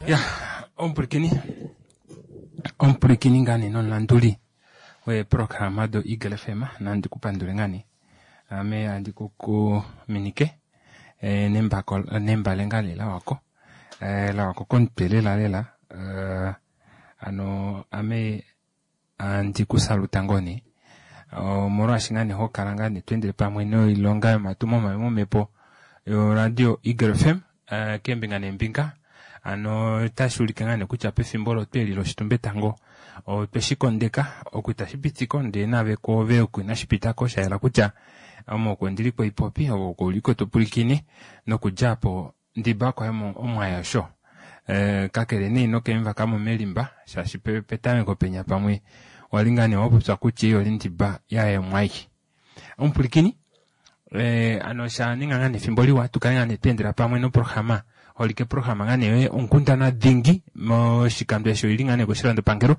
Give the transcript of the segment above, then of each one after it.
Ya omupwilikini omupwilikini ngaa nee nomulanduli weeprograma do Eagle FM nandi ku pandule ngaa nee ame andi ku kuminike eh, nembako nembale ngaa nee lawako eh, lawako komutwe lela lela eh, ano ame andi ku saluta ngoo nee omolwaashi ngaa nee ho kala ngaa nee to endele pamwe noilonga yomatumo mai momhepo yoradio Eagle FM eh, keembinga neembinga ano otashi ulike ngaa nee kutya pefimbo olo tweli loshitumbetango otwe shi kondeka oku itashi pitiko ndee naave kwoove oku inashi pitako sha yela kutya ame oko ndili koipopi ove oko uliko to pwilikine nokudja apo Ndiba okwa ya omwaya osho. Kakele nee ino ke mu vaka mo melimba, shaashi petameko penya pamwe wa li ngaa nee wa popya kutya ei oli Ndiba ya emwai. Omupwilikini, ano osha ninga ngaa nee efimbo liwa tu kale ngaa nee twa endela pamwe noprograma, holike programa ngaa nee yoye onkundana dhingi moshikando eshi oili ngaa nee koshilandopangelo,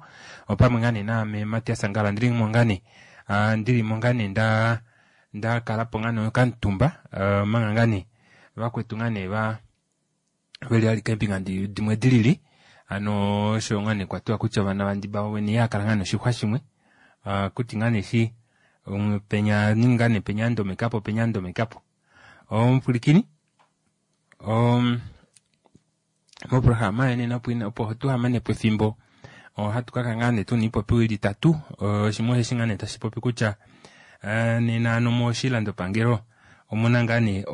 opamwe ngaa nee naame Matias Angala ndili mo ngaa nee, ndili mo ngaa nee nda nda kala po ngaa nee okamutumba omanga ngaa nee vakwetu ngaa nee va veli alike eembinga dimwe dilili hano osho ngaa nee kwatiwa kutya ovana vandiba vovene iha kala ngaa noshixwa shimwe kuti ngaa nee shi penya ninga nee penya ndomekapo penya ndomekapo omupwilikini moprograma yenena opo tuhamane po efimbo ohatu ka kala ngaa nee tuna iipopiwa ili itatu shimwe osheshi ngaa nee tashi popi kutya nena ano moshilandopangelo omuna ngaa nee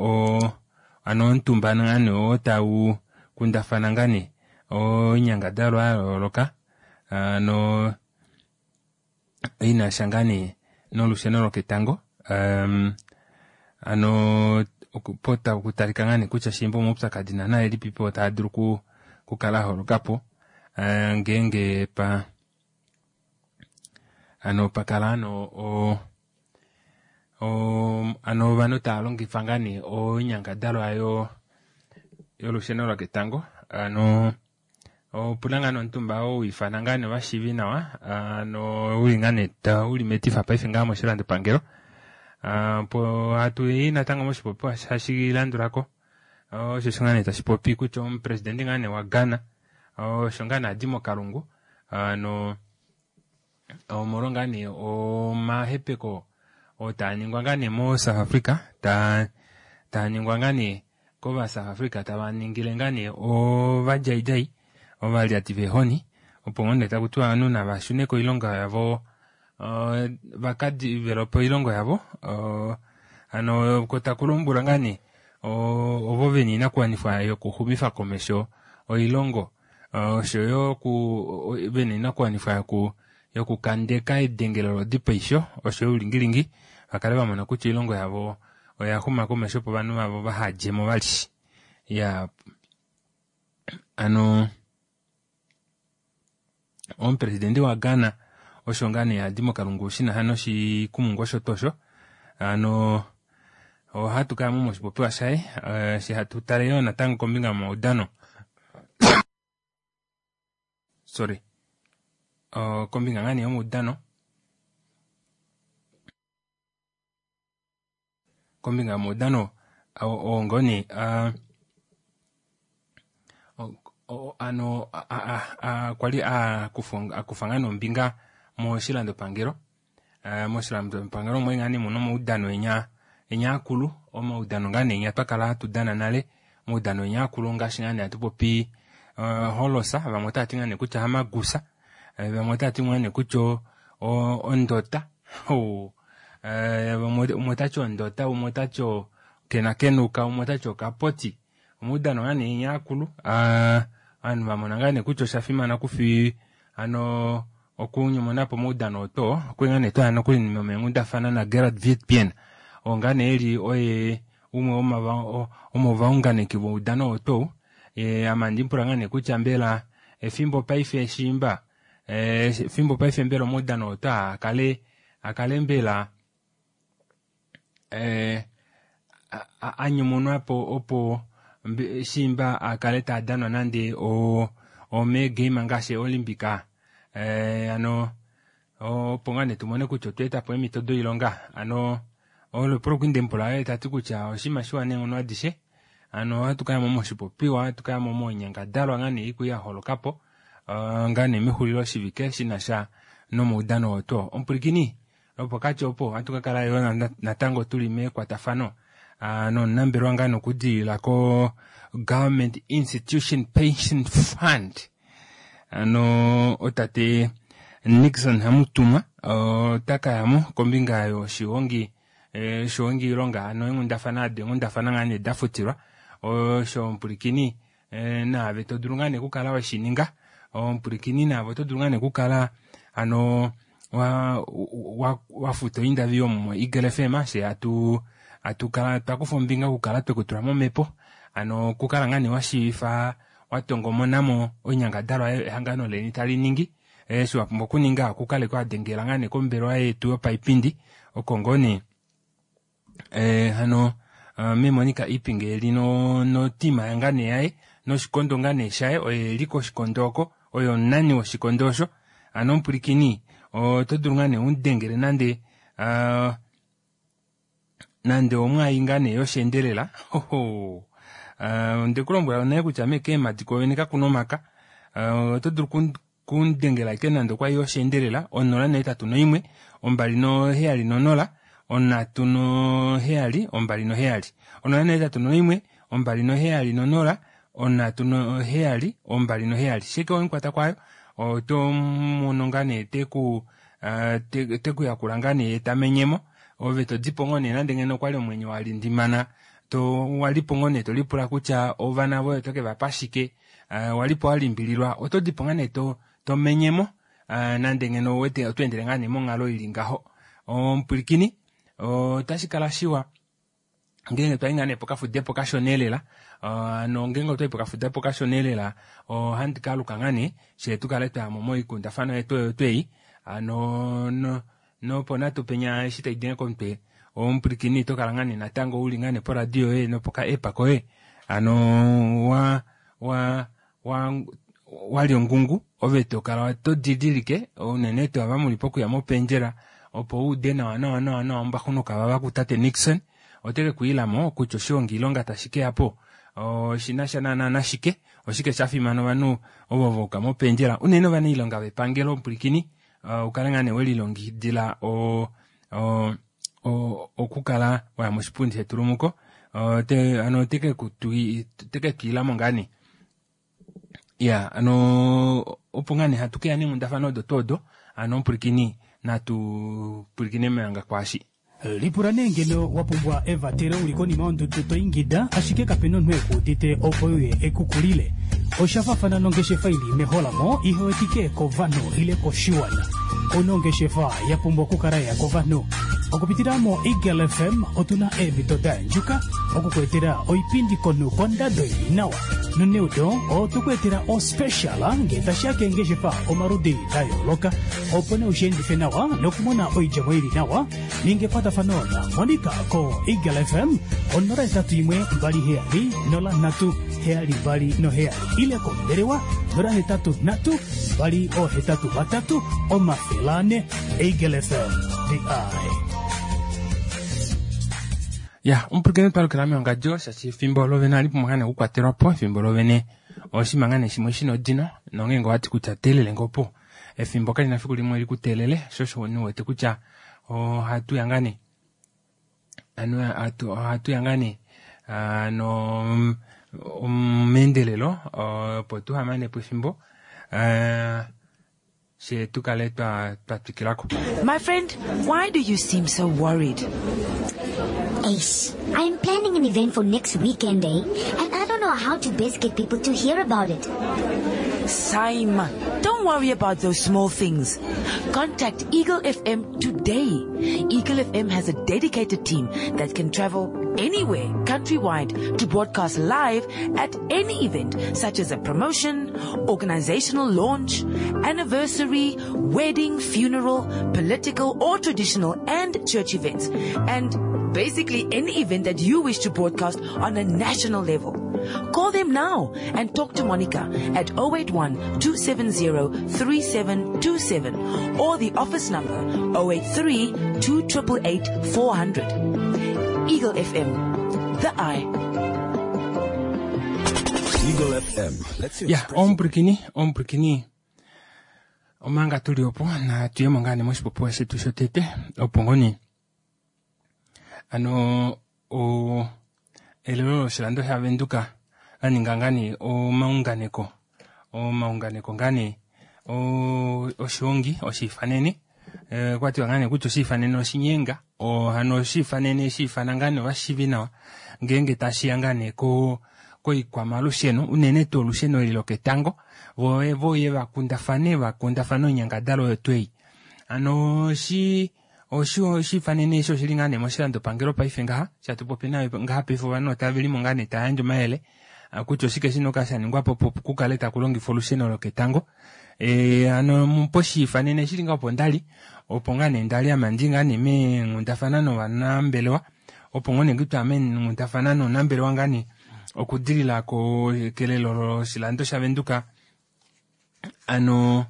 ano omutumba ngaa nee oo tau kundafana ngaa nee oinyangadalwa ya yooloka ano inasha ngaa nee nolusheno loketango ano po taku talika ngaa nee kutya shiimba omaupyakadi naana elipipo taa dulu okukala aholokapo ngeenge pa ano pakala ano o ano ovanhu tava longifa ngaa nee oinyangadalwa yolusheno loketango ano Opuna ngaa nee omutumba oo wiifana ngaa nee ovashiivi nawa ano uli ngaa nee uli metifa paife ngaa moshilandopangelo opo hatu yi natango moshipopiwa hashi landulako osho sho ngaa nee tashi popi kutya omupresidente ngaa nee waGhana osho ngaa nee adi mokalungu ano omolwo ngaa nee omahepeko oo taa ningwa ngaa nee moSouth Africa taa ningwa ngaa nee kova South Africa tava ningile ngaa nee ovadjaidjai ovalyati veehoni opo ngoo nee taku tiwa ovanhu nava shune koilonga yavo vaka develope oilongo yavo hano ko taku lombwelwa ngaa nee ovo vena oinakuwanifwa yokuxumifa komesho oilongo oshoyo vena oinakuwanifwa yokukandeka edengelo lodipaisho oshoyo oulingilingi vakale vamona kutya oilongo yavo oya xuma komesho opo ovanhu vavo vahadjemo vali iya hano omupresidente waGhana osho ngaa nee adi mokalungu shina sha noshikumungu osho tuu osho hano ohatu kaya mo moshipopiwa shaye eshi hatu tale yoo natango kombinga yomaudano sorry kombinga ngaa nee yomaudano kombinga yomaudano oo ngoo nee ano kwali akufa ngaa nee ombinga moshilandopangelo moshilandopangelo omwali ngaa nee muna omaudano enya enya akulu omaudano ngaa nee enya twakala hatu dana nale omaudano enya akulu ongaashi ngaa nee hatu popi holosa vamwe otavati ngaa nee kutya hamagusa vamwe otavati ngaa nee kutya ondota umwe otati ondota umwe otati okenakenuka umwe otati okapoti omaudano ngaa nee enya akulu ovanhu vamona ngaa nee kutya osha fimana okufi hano okunyumunapo omaudano oto okwali ngaa nee twaya nokuli nomeenghundafana naGerard Witbeen oo ngaa nee eli oye umwe womovaunganeki voudano oto ame andimupula ngaa nee kutya mbela efimbo paife shiimba efimbo paife mbela omaudano oto akale akale mbela anyumunwapo opo shiimba akale taadanwa nande omeegame ngaashi Olympic hano opo ngaa nee tumone kutya otwa etapo eemhito doilonga hano olo epulo kwali ndemupula oye tati kutya oshinima shiwa neenghono adishe. Hano ohatu kayamo moshipopiwa, ohatu kayamo moinyangadalwa ngaa nee iku yaholokapo ngaa nee mexulilo shivike shinasha nomaudano oo tuu. Omupwilikini lopokati opo ohatu kakala yoo natango tuli mekwatafano nomunambelewa ngaa nokudilila ko Government Institution Pension Fund ano otate Nixon Hamutumwa ota kayamo kombinga yoshihongi shohongi ilonga ano eenghundafana ado eenghundafana ngaa nee dafutilwa osho omupwilikini naave todulu ngaa nee okukala weshininga omupwilikini naave oto dulu ngaa nee okukala ano wafuta oindavi yomo Eagle FM she atu atukala twakufa ombinga okukala twekutula momhepo ano okukala ngaa nee washiivifa watongomonamo oinyangadalwa ehangano leni tali ningi eshi wapumbwa okuninga okukala wadengela ngaa nee kombelewa yetu yopaipindi oko ngoo nee hano memonika Iipinge eli notima ngaa nee yaye noshikondo ngaa nee shaye oye eli koshikondo oko oye omunani woshikondo osho ano omupwilikini oto dulu ngaa nee umudengele nande nande omwaayi ngaa nee yosheendelela hoho ondekulombwela naye kutya mekeemadi kovene kakuna omaka oto dulu kundengela ike nande okwai yosheendelela 081 270 372 081 270 372 shike omukwata kwayo oto mono ngaa nee teku tekuyakula ngaa nee tamenyemo ove todipo ngoo nee nande ngeno okwali omwenyo walindimana to walipo ngoo nee tolipula kutya ovana voye oto kevapa shike walipo walimbililwa oto dipo ngaa nee tomenyemo nande ngeno wete oto endele ngaa nee monghalo ili ngaho omupwilikini otashi kala shiwa ngeenge twayi ngaa nee pokafudepo kashona elela ano ngeenge otwayi pokafudepo kashona elela ohandi kaaluka ngaa nee shee tukale twayamo moikundafana yetu oyo tweyi ano nopo natu penya eshi taidenge komutwe omupwilikini tokala ngaa nee natango uli ngaa nee poradio yoye nopoka app koye ano wa wa wa wali ongungu ove tokala to didilike unene tuu ava muli pokuya mopendjela opo uude nawa nawa nawa nawa ombaxunuka vava kutate Nixon oteke kwiilamo kutya oshihongi ilonga tashi keyapo oshinasha naana nashike oshike shafimana ovanhu ovo vauka mopendjela unene ovanailonga vepangelo omupwilikini ukale ngaa nee welilongekidila okukala waya moshipundi shetulumuko ano oteke kutwiilamo ngaa nee ya ano opo ngaa nee hatu keya neenghundafana odo tuu odo ano omupwilikini natu pwilikine manga kwaashi Lipula nee ngeno wa pumbwa evatelo uli konima yondudu to ingida ashike kapena omunhu ekuudite opo uye ekukulile. Oshafafana nongeshefa ili meholamo ihewetike kovanhu ile koshiwana. Onongeshefa ya pumbwa okukala ya kovanhu. Okupitila mo Eagle FM otuna eemhito da yandjuka okukuetela oipindi konhu kondado ili nawa. Noneudo otukuetela ospecial ngee tashiya keengeshefa omaludi da yooloka opo nee ushiendife nawa nokumona oidjemo ili nawa. Ninga ekwatafano na Monica ko Eagle FM 081 27 03 72 ile kombelewa 083 283 400. Eagle FM, the eye. Ya omupwilikini twalukila meongadjo shaashi efimbo lovene ohali pumbwa ngaa nee okukwatelwapo efimbo lovene oshinima ngaa nee shimwe shina odino nongeenge owati kutya teelele ngoo po efimbo kalina fiku limwe likuteelele sho osho niwete kutya ohatu ya ngaa nee ano ohatu ya ngaa nee ano meendelelo opo tuhamanepo efimbo she tukale twatwikilako. My friend, why do you seem so worried? Ace, I'm planning an event for next weekend, eh? And I don't know how to best get people to hear about it. Saima, don't worry about those small things. Contact Eagle FM today. Eagle FM has a dedicated team that can travel anywhere countrywide to broadcast live at any event, such as a promotion, organizational launch, anniversary, wedding, funeral, political or traditional and church events, and basically any event that you wish to broadcast on a national level. Call them now and talk to Monica at 081 270 3727 or the office number 083 288 400. Eagle FM, the eye. Eagle FM lets you Ya, express omupwilikini, omupwilikini, omanga tuli opo natu ye mo ngaa nee moshipopiwa shetu shotete opo ngoo nee ano o elelo loshilando shaVenduka la ninga ngaa nee omaunganeko, omaunganeko ngaa nee oshiongi oshiifanene, okwa tiwa ngaa nee kutya oshiifanene oshinyenga, hano oshiifanene shiifana ngaa nee ovashiivi nawa ngeenge tashiya ngaa nee koikwamalusheno, unene tuu olusheno eli loketango, vo voye vakundafane, vakundafane oinyangadalwa oyo tuu ei. Hano oshiifanene eshi oshili ngaa nee moshilandopangelo paife ngaha, shatupopi nayo ngaha paife ovanhu otave limo ngaa nee tava yandje omayele kutya oshike shina okukala shaningwa po opo kukale taku longifwa olusheno loketango. Hano poshiifanene shili ngaa opo ndali, opo ngaa nee ndali ame andi ngaa nee meenghundafana novanambelewa, opo ngoo nee kutya meenghundafana nomunambelewa ngaa nee okudilila kelelo loshilando shaVenduka, ano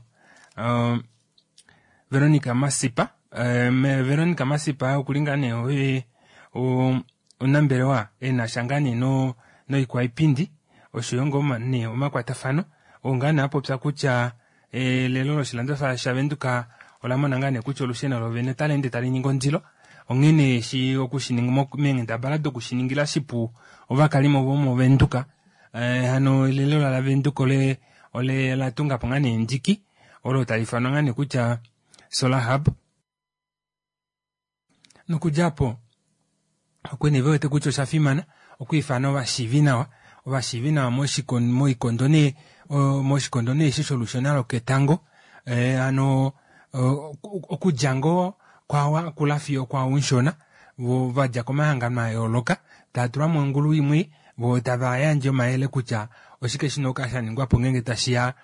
Veronica Masipa. Veronica Masipa okuli ngaa nee oye omunambelewa ena sha ngaa nee noikwaipindi oshoyo ngoo nee omakwatafano, oo ngaa nee apopya kutya elelo loshilando shaVenduka ola mona ngaa nee kutya olusheno lovene otali ende tali ningi ondilo, onghene eshi okushininga meenghendabala dokushiningila shipu ovakalimo vomoVenduka, hano elelo laVenduka ole la tunga po ngaa nee endiki olo tali ifanwa ngaa nee kutya Solar Hub. Nokudja apo okwe nee vewete kutya osha fimana okwiifana ovashiivi nawa, ovashiivi nawa moikondo nee, moshikondo nee eshi sholusheno loketango, hano okudja ngoo kwawa kula fiyo kwawa mushona, vo vadja komahangano a yooloka tava tulwa mongulu imwe, vo tava yandje omayele kutya oshike shina okukala sha ningwa po ngeenge tashiya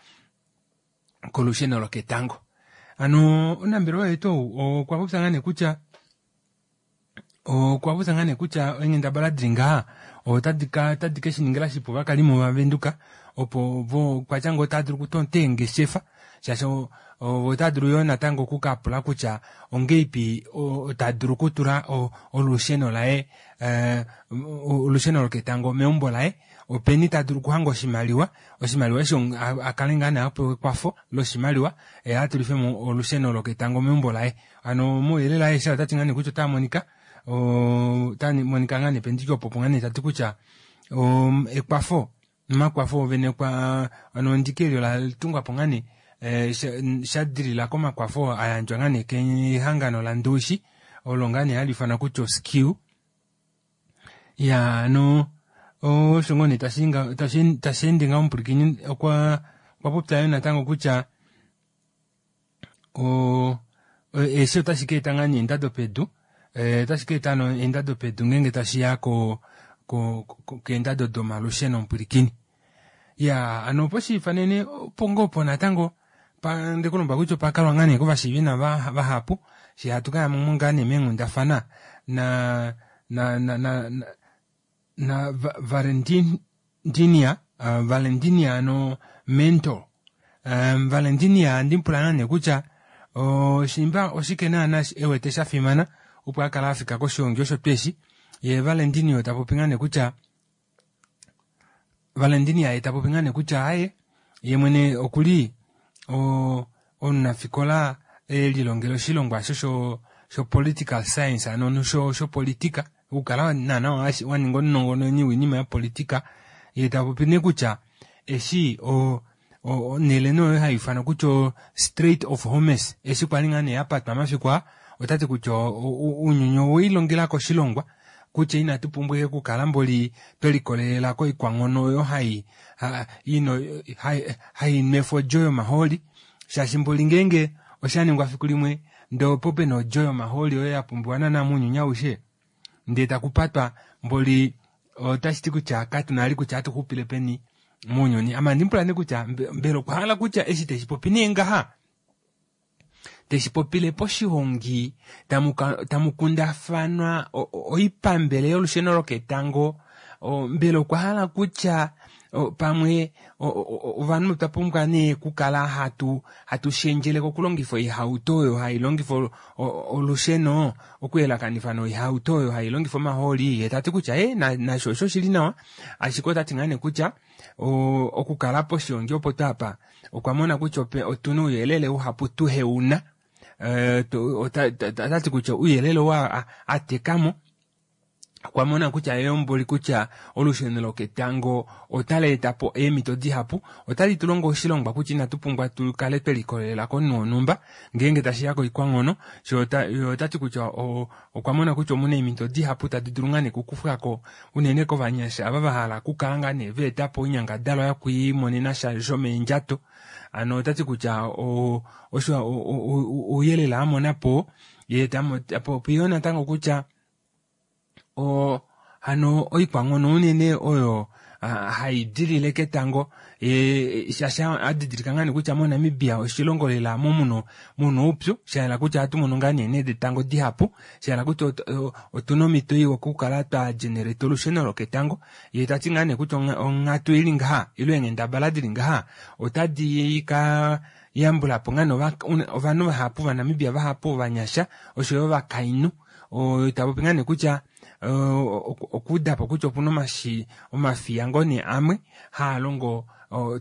kolusheno loketango. Hano omunambelewa wetu ou okwa popya ngaa nee kutya, okwa popya ngaa nee kutya eenghendabala dili ngaha otadi ke shiningila shipu ovakalimo vaVenduka, opo vo kwatya ngoo otava dulu okutota eengeshefa, shaashi ovo otava dulu yoo natango okukapula kutya ongeipi ta dulu okutula olusheno laye, olusheno loketango meumbo laye, openi ta dulu okuhanga oshimaliwa, oshimaliwa eshi akale ngaa nee apewa ekwafo loshimaliwa, atulife mo olusheno loketango meumbo laye. Hano mouyelele aeshe otati ngaa nee kutya ota monika, ota monika ngaa nee pendiki opo ngaa nee tati kutya ekwafo, omakwafo ovene kwa, ano endiki eli ola tungwa po ngaa nee, sha dilila komakwafo a yandjwa ngaa nee kehangano laNduushi, olo ngaa nee hali ifanwa kutya oSkew. Ya, ano osho ngoo nee tashi ende ngaho omupwilikini okwa popya yo natango kutya eshi otashi ka eta ngaa nee eendado pedu, otashi ka eta no eendado pedu ngeenge tashi ya keendado domalusheno omupwilikini. Ya, ano poshiifanene opo ngoo opo natango ndekulomba kutya opa kalwa ngaa nee kovashiivi nava vahapu, shi hatu ka yamo ngaa nee meenghundafana na na Valentinia, Valentinia ano Mento. Valentinia andi pula ngaa nee kutya oshimba oshike naana ewete sha fimana opo akala afika koshiongi osho tweshi. Ye Valentinia ta popi ngaa nee kutya, Valentinia ye ta popi ngaa nee kutya aye ye mwene okuli omunafikola elilongela oshilongwa sho sho political science, ano sho politika, okukala naana wa ninga omunongononi wiinima yopolitika. Ye ta popi nee kutya eshi onhele nee oyo hai ifanwa kutya Strait of Hormuz, eshi kwali ngaa nee yapatwa mafiku aa, otati kutya ounyuni oweilongela koshilongwa kutya inatu pumbwa okukala mboli twelikolelela koikwanghono oyo hai nwefa odjo yomahooli, shaashi mboli ngeenge osha ningwa fiku limwe ndee opo pena odjo yomahooli oyo ya pumbiwa naana mounyuni aushe, ndee takupatwa mboli otashi ti kutya katuna ali kutya atuxupile peni mounyuni. Ame andimupula nee kutya mbela okwa hala kutya eshi teshipopi nee ngaha, teshipopile poshihongi tamukundafanwa oipambele yolusheno loketango, mbela okwa hala kutya Pamwe ovanhu otwa pumbwa nee okukala hatu hatu shendjele kokulongifa oihauto oyo hai longifa olusheno okuyelakanifa noihauto oyo hai longifa omahooli. Ye ta ti kutya e nasho osho shili nawa, ashike ota ti ngaa nee kutya okukala poshiongi opo twaapa okwa mona kutya otuna ouyelele uhapu tuheuna. Ota ti kutya ouyelele oo a tekamo okwa mona kutya eyomboli kutya olusheno loketango otali eta po eemhito dihapu, otali tu longo oshilongwa kutya inatu pumbwa tu kale twe likolelela komunhu wonhumba ngeenge tashi ya koikwanghono. Ota ti kutya okwa mona kutya omuna eemhito dihapu tadi dulu ngaa nee okukufwa ko unene kovanyasha ava va hala okukala ngaa nee va eta po oinyangadalwa yokwiimonena sha shomeendjato. Hano ota ti kutya osho ouyelele a mona po, ye ta popi yoo natango kutya hano oikwanghono unene oyo hai dilile ketango, shaashi a didilika ngaa nee kutya moNamibia oshilongo lela mo muna oupyu, sha hala kutya ohatu mono ngaa nee eenhe detango dihapu, sha hala kutya otuna omhito iwa okukala twa generate olusheno loketango. Ye ta ti ngaa nee kutya onghatu ili ngaha ile eenghendabala dili ngaha otadi ka yambula po ngaa nee ovanhu vahapu, Ovanamibia vahapu, ovanyasha oshoyo ovakainhu. Ta popi ngaa nee kutya okuuda po kutya opuna omafiya ngoo nee amwe haa longo,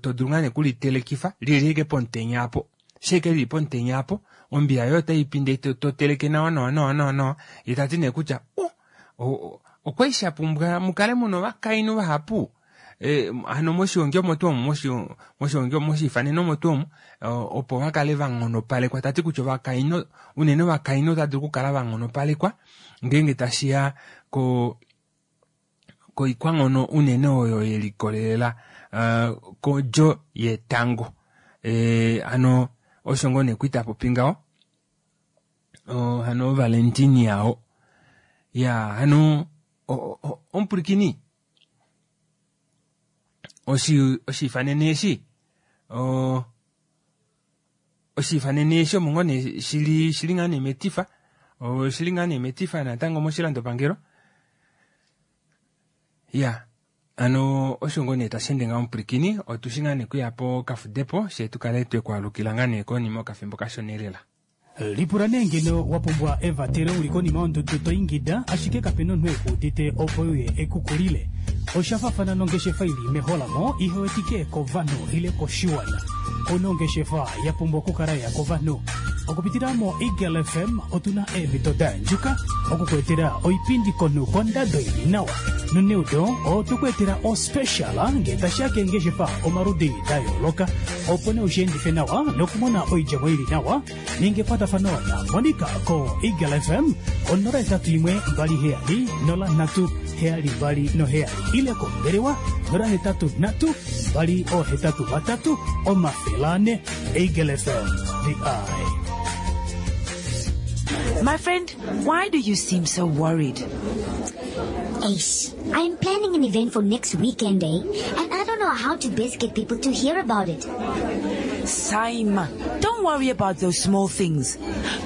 to dulu ngaa nee okulitelekifa lili ashike pomutenya apo, sheke lili pomutenya apo ombiya yoye otai pinde to teleke nawa nawa nawa nawa nawa. Ye ta ti nee kutya okwali sha pumbwa mukale muna ovakainhu vahapu hano moshiongi omo tuu omu, moshiongi moshiifanene omo tuu omu, opo va kale va nghonopalekwa. Ta ti kutya ovakainhu unene ovakainhu otava dulu okukala va nghonopalekwa ngeenge tashiya koikwanghono unene oyo ye likolelela kodjo yetango. Hano osho ngoo nee kwita popi ngaho. Hano Valentini yao ya hano omupulikini oshiifanene eshi oshiifanene eshi omo ngoo nee shili ngaa nee metifa, oshili ngaa nee metifa natango moshilandopangelo. Ya hano osho ngoo nee tashi ende ngaho omupulikini, otushi ngaa nee kuya po kafudepo she tukale twekwaalukila ngaa nee konima okafimbo kashona elela. Lipula nee ngeno wa pumbwa evatelo uli konima yondudu to ingida, ashike kape na omunhu e ku udite opo uye e ku kulile. Osha faafana nongeshefa ili meholamo ihe wetike kovanhu ile koshiwana. Ouna ongeshefa ya pumbwa okukala ya kovanhu. Okupitila mo Eagle FM otuna eemhito da yandjuka okukuetela oipindi konhu kondado ili nawa. Noneudo otwe ku etela ospecial ngee tashi ya keengeshefa omaludi da yooloka, opo nee ushiendife nawa nokumona oidjemo ili nawa. Ninga ekwatafano na Monica ko Eagle FM ko 081 27 03 72 ile kombelewa 083 283 400. Eagle FM, the eye. My friend, why do you seem so worried? Ace, I'm planning an event for next weekend, and I don't know how to best get people to hear about it. Saima, don't worry about those small things.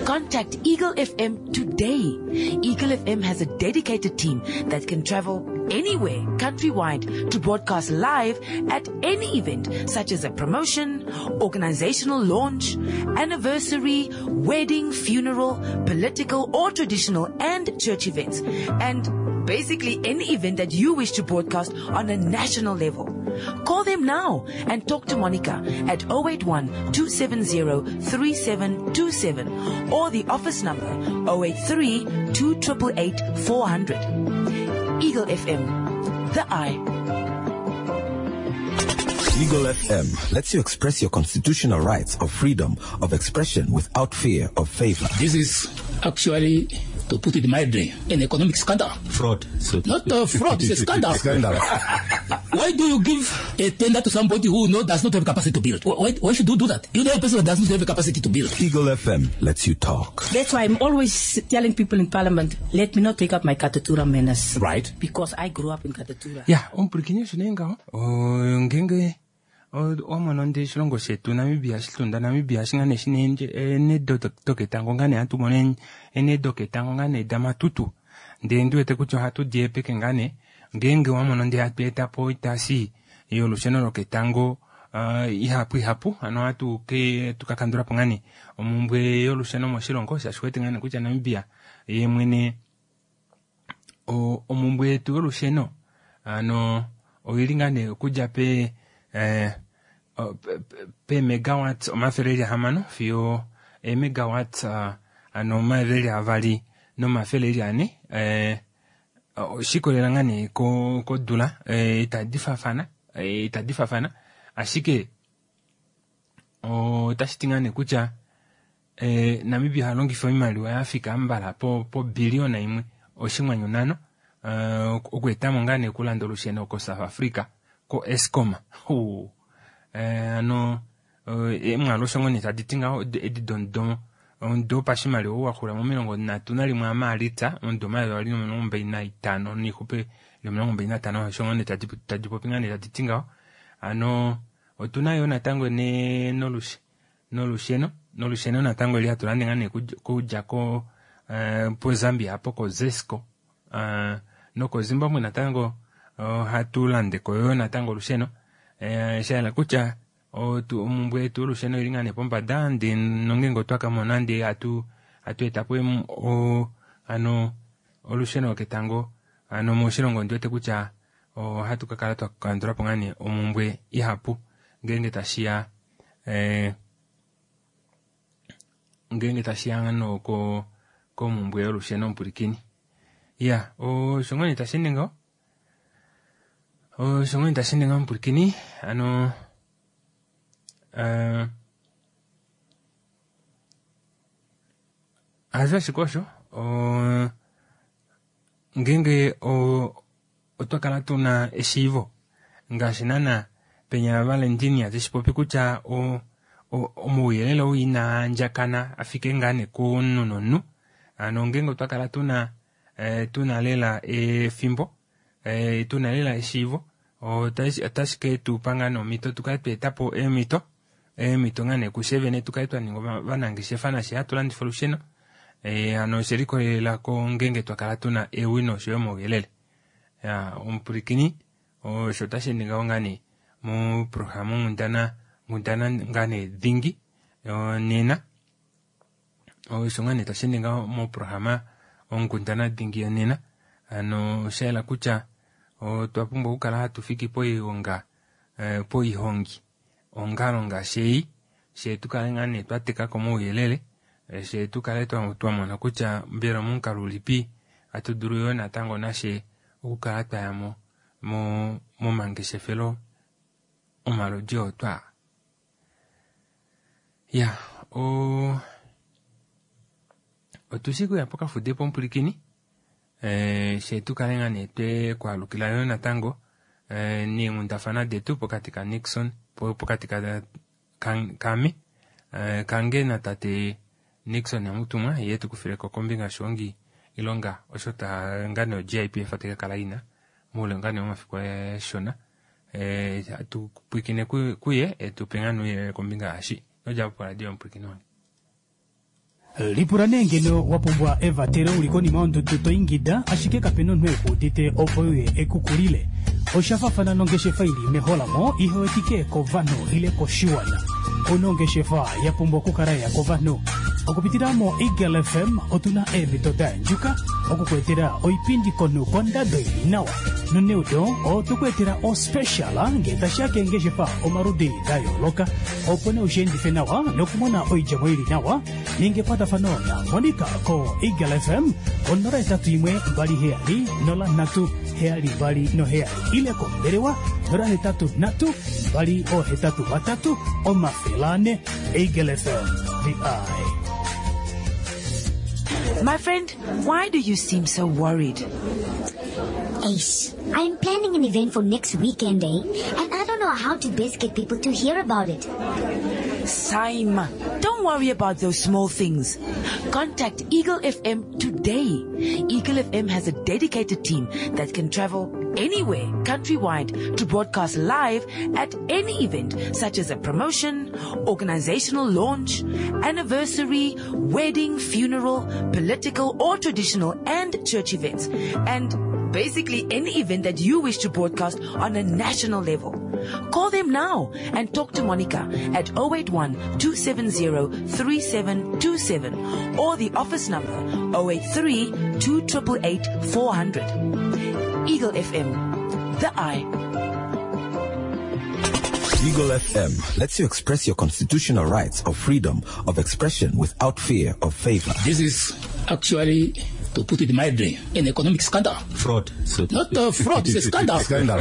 Contact Eagle FM today. Eagle FM has a dedicated team that can travel anywhere, countrywide, to broadcast live at any event, such as a promotion, organizational launch, anniversary, wedding, funeral, political or traditional and church events, and basically any event that you wish to broadcast on a national level. Call them now and talk to Monica at 081-270 3727 or the office number 083 288 400. Eagle FM, the eye. Eagle FM lets you express your constitutional rights of freedom of expression without fear of favor. This is actually, to put it mildly, an economic scandal. Fraud. So Not a fraud, it's a scandal. Scandal. Why do you give a tender to somebody who does not have capacity to build? Why should you do that? You know a person that does not have a capacity to build. Eagle FM lets you talk. That's why I'm always telling people in Parliament, let me not take up my Katutura manners. Right. Because I grew up in Katutura. Yeah, omupulikini osho nee ngaho. Ngenge omona ndi oshilongo shetu Namibia, shitunda Namibia, shingane shine ene doketango ngane hatu mono ene doketango ngane damatutu. Ndee ndi wete kutya ohatu di epeke ngane, ngeenge wa mono ndi hatu eta po oitasi yolusheno loketango ihapu ihapu ano ohatu ke tukakandulapo ngaa nee omumbwe yolusheno moshilongo shaashi owete ngaa nee kutya Namibia yeemwene omumbwe yetu yolusheno ano oili ngaa nee okudja pe pe megawatts 600 fiyo emegawatts ano 224 oshikolela ngaa nee kodula itadi faafana ashike otashi ti ngaa nee kutya Namibia oha longifa oimaliwa yafika mbala po billiona 1.5 okuetamo ngaa nee okulanda olusheno ko South Africa ko Eskom. Ano emwaalu osho ngoo nee tadi ti ngaho edi domudo omudo wopashimaliwa ou waxula mo31 aMaalitsa omudo 2025 noixupe 25 osho ngoo nee tadi popi ngaa nee tadi ti ngaho. Ano otuna yo natango nee nolusheno natango eli hatu lande ngaa nee kudja ko po Zambia apo ko Zesco noko Zimbabwe natango ohatu landeko yo natango olusheno shayela kutya omumbwe yetu yolusheno ili ngaa nee pombada ndee nongenge otwa kamona ndee hatu etapo ano olusheno loketango ano moshilongo ondiwete kutya ohatu kakala twakandulapo ngaa nee omumbwe ihapu ngeenge tashiya ngeenge tashiya ngano komumbwe yolusheno omupulikini. Ya osho ngoo nee tashi ninga osho ngoo nee tashi ninga omupulikini ano hasho ashike osho ngeenge otwa kala tuna eshiivo ngaashi nana penya Valentinia teshipopi kutya omauyelele ou inaa andjakana afike ngaa nee komunhu nomunhu ano ngeenge otwa kala tuna lela efimbo tuna lela eshiivo otashi ke tupa ngaa nee omhito tukale tweetapo eemhito ngaa nee kushe vene tukale twaninga ovanangeshefa nashe hatu landifa olusheno ano oshelikolelela ngeenge twakala tuna ewino oshoyo omauyelele. Omupulikini osho tashi ningaho ngaa nee moprograma onghundana ngaa nee dhingi nena osho ngaa nee tashi ningaho moprograma onghundana dhingi yonena ano oshayela kutya otwa pumbwa okukala hatu fiki poilonga poihongi ongalo ngaashi ei she tukale ngaa nee twatekako mouyelele she tukale twamona kutya mbela omomukalo ulipi hatu dulu yo natango nashe okukala twayamo momangeshefelo omaludi otwa ya otushi kuya pokafude pomupulikini she tukale ngaa nee twekwaalukila yo natango neenghundafana detu pokati ka Nixon pokati kame kange natate Nixon Hamutumwa ye tukufileko kombinga yoshihongi ilonga osho ta ngaa nee o-GIPF taikakala ina moule ngaa nee womafiku ashona tupwiikine kuye etupe ngaa nee ouyelele kombinga yaashi nodjapo poradio yomupulikini wange. Lipula nee ngeno wa pumbwa evatelo uli konima yondudu to ingida ashike kapena omunhu ekuudite opo uye ekukulile. Osha faafana nongeshefa ili meholamo ihewetike kovanhu ile koshiwana. Onongeshefa ya pumbwa okukala ya kovanhu. Okupitila mo Eagle FM otuna eemhito da andjuka okukuetela oipindi komunhu kondado ili nawa. Noneudo otokuetela ospecial ngee tashiya keengeshefa omaludi da yooloka opo nee ushiendife nawa nokumona oidjemo ili nawa ninga ekwatafano na Monica ko Eagle FM ko 081 27 03 72 ile kombelewa 083 283 400. Eagle FM, the eye. My friend, why do you seem so worried? Ace, I'm planning an event for next weekend, eh? And I don't know how to best get people to hear about it. Saima, don't worry about those small things. Contact Eagle FM today. Eagle FM has a dedicated team that can travel anywhere, countrywide, to broadcast live at any event, such as a promotion, organizational launch, anniversary, wedding, funeral, political or traditional and church events, and basically any event that you wish to broadcast on a national level. Call them now and talk to Monica at 081 270 3727 or the office number 083 2888 400. Eagle FM, the eye. Eagle FM lets you express your constitutional rights of freedom of expression without fear of favor. This is actually, to put it mildly, an economic scandal. Fraud. So Not a fraud, it's a scandal. Scandal.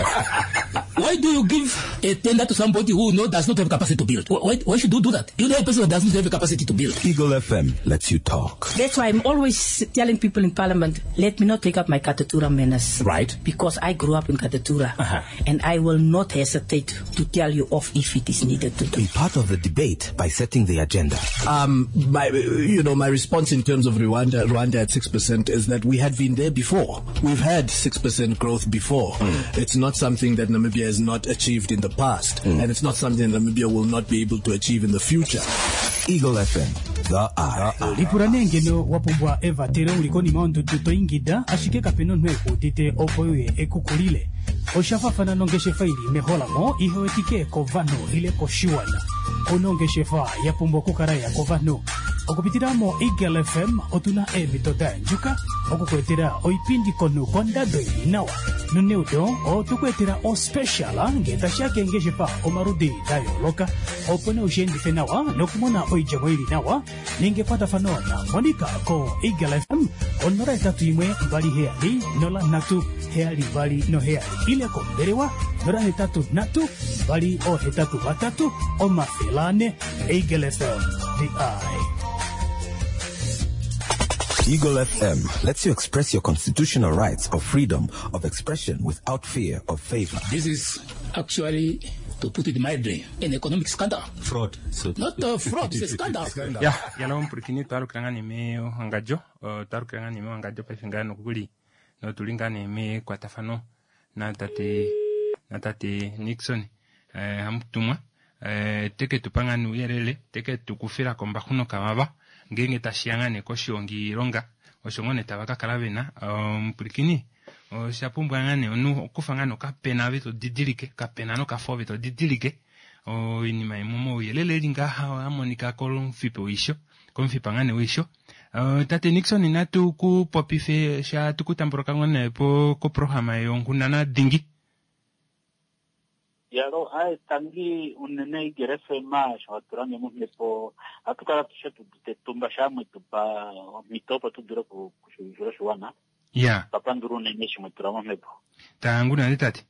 Why do you give a tender to somebody who does not have capacity to build? Why should you do that? You know a person that does not have capacity to build. Eagle FM lets you talk. That's why I'm always telling people in Parliament, let me not take up my Katutura manners. Right. Because I grew up in Katutura. Uh-huh. And I will not hesitate to tell you off if it is needed to do. Be part of the debate by setting the agenda. My response in terms of Rwanda at 6% is that we had been there before. We've had 6% growth before. It's not something that Namibia has not achieved in the past, and it's not something that Namibia will not be able to achieve in the future. Eagle FM, the eye. Lipula nee ngeno wa pumbwa evatelo uli konima yondudu to ingida ashike kapena omunhu ekuudite opo uye ekukulile. Osha fafana nongeshefa ili meholamo ihewetike kovanhu ile koshiwana. Onongeshefa ya pumbwa okukala ya kovanhu. Okupitila mo Eagle FM otuna eemhito da yandjuka okukuetela oipindi komunhu kondado ili nawa. Noneudo otukuetela ospecial ngee tashiya keengeshefa omaludi da yooloka opo nee ushiendife nawa nokumona oidjemo ili nawa ninga ekwatafano na Monica ko Eagle FM 081 27 03 72 7 ile kombelewa 083 283 400. Eagle FM, the eye. Eagle FM lets you express your constitutional rights of freedom of expression without fear of favor. This is actually, to put it mildly, an economic scandal. Fraud. So Not a fraud, it's a scandal. Ya, yala omupulikini twalukila nga nee mewangadjo, twalukila nga nee mewangadjo paife ngaa nokuli notuli ngaa nee mekwatafano natate Nixon Hamutumwa teke tupa nga nee ouyelele teke tukufila kombaxu nokavava ngeenge tashiya nga nee koshihongilonga osho ngoo nee tava kakala vena. Omupulikini osha pumbwa nga nee omunhu okufa nga nee okapena ove todidilike kapena nokafo ove todidilike oinima imwe mouyelele eli ngaha amonika komufipa weisho komufipa nga nee weisho. Tate Nixon natu kupopife sha tukutambuluka ngoo nee koprograma yonghundana dingi. Yalo, aye tangi unene Eagle FM sho hatulange momhepo ohatu kala tushe tutumba shamwe tupa omhito opo tu dule okushivifila oshiwana. Ya. Twapandula unene eshi mwetula momhepo. Tangu nale tate.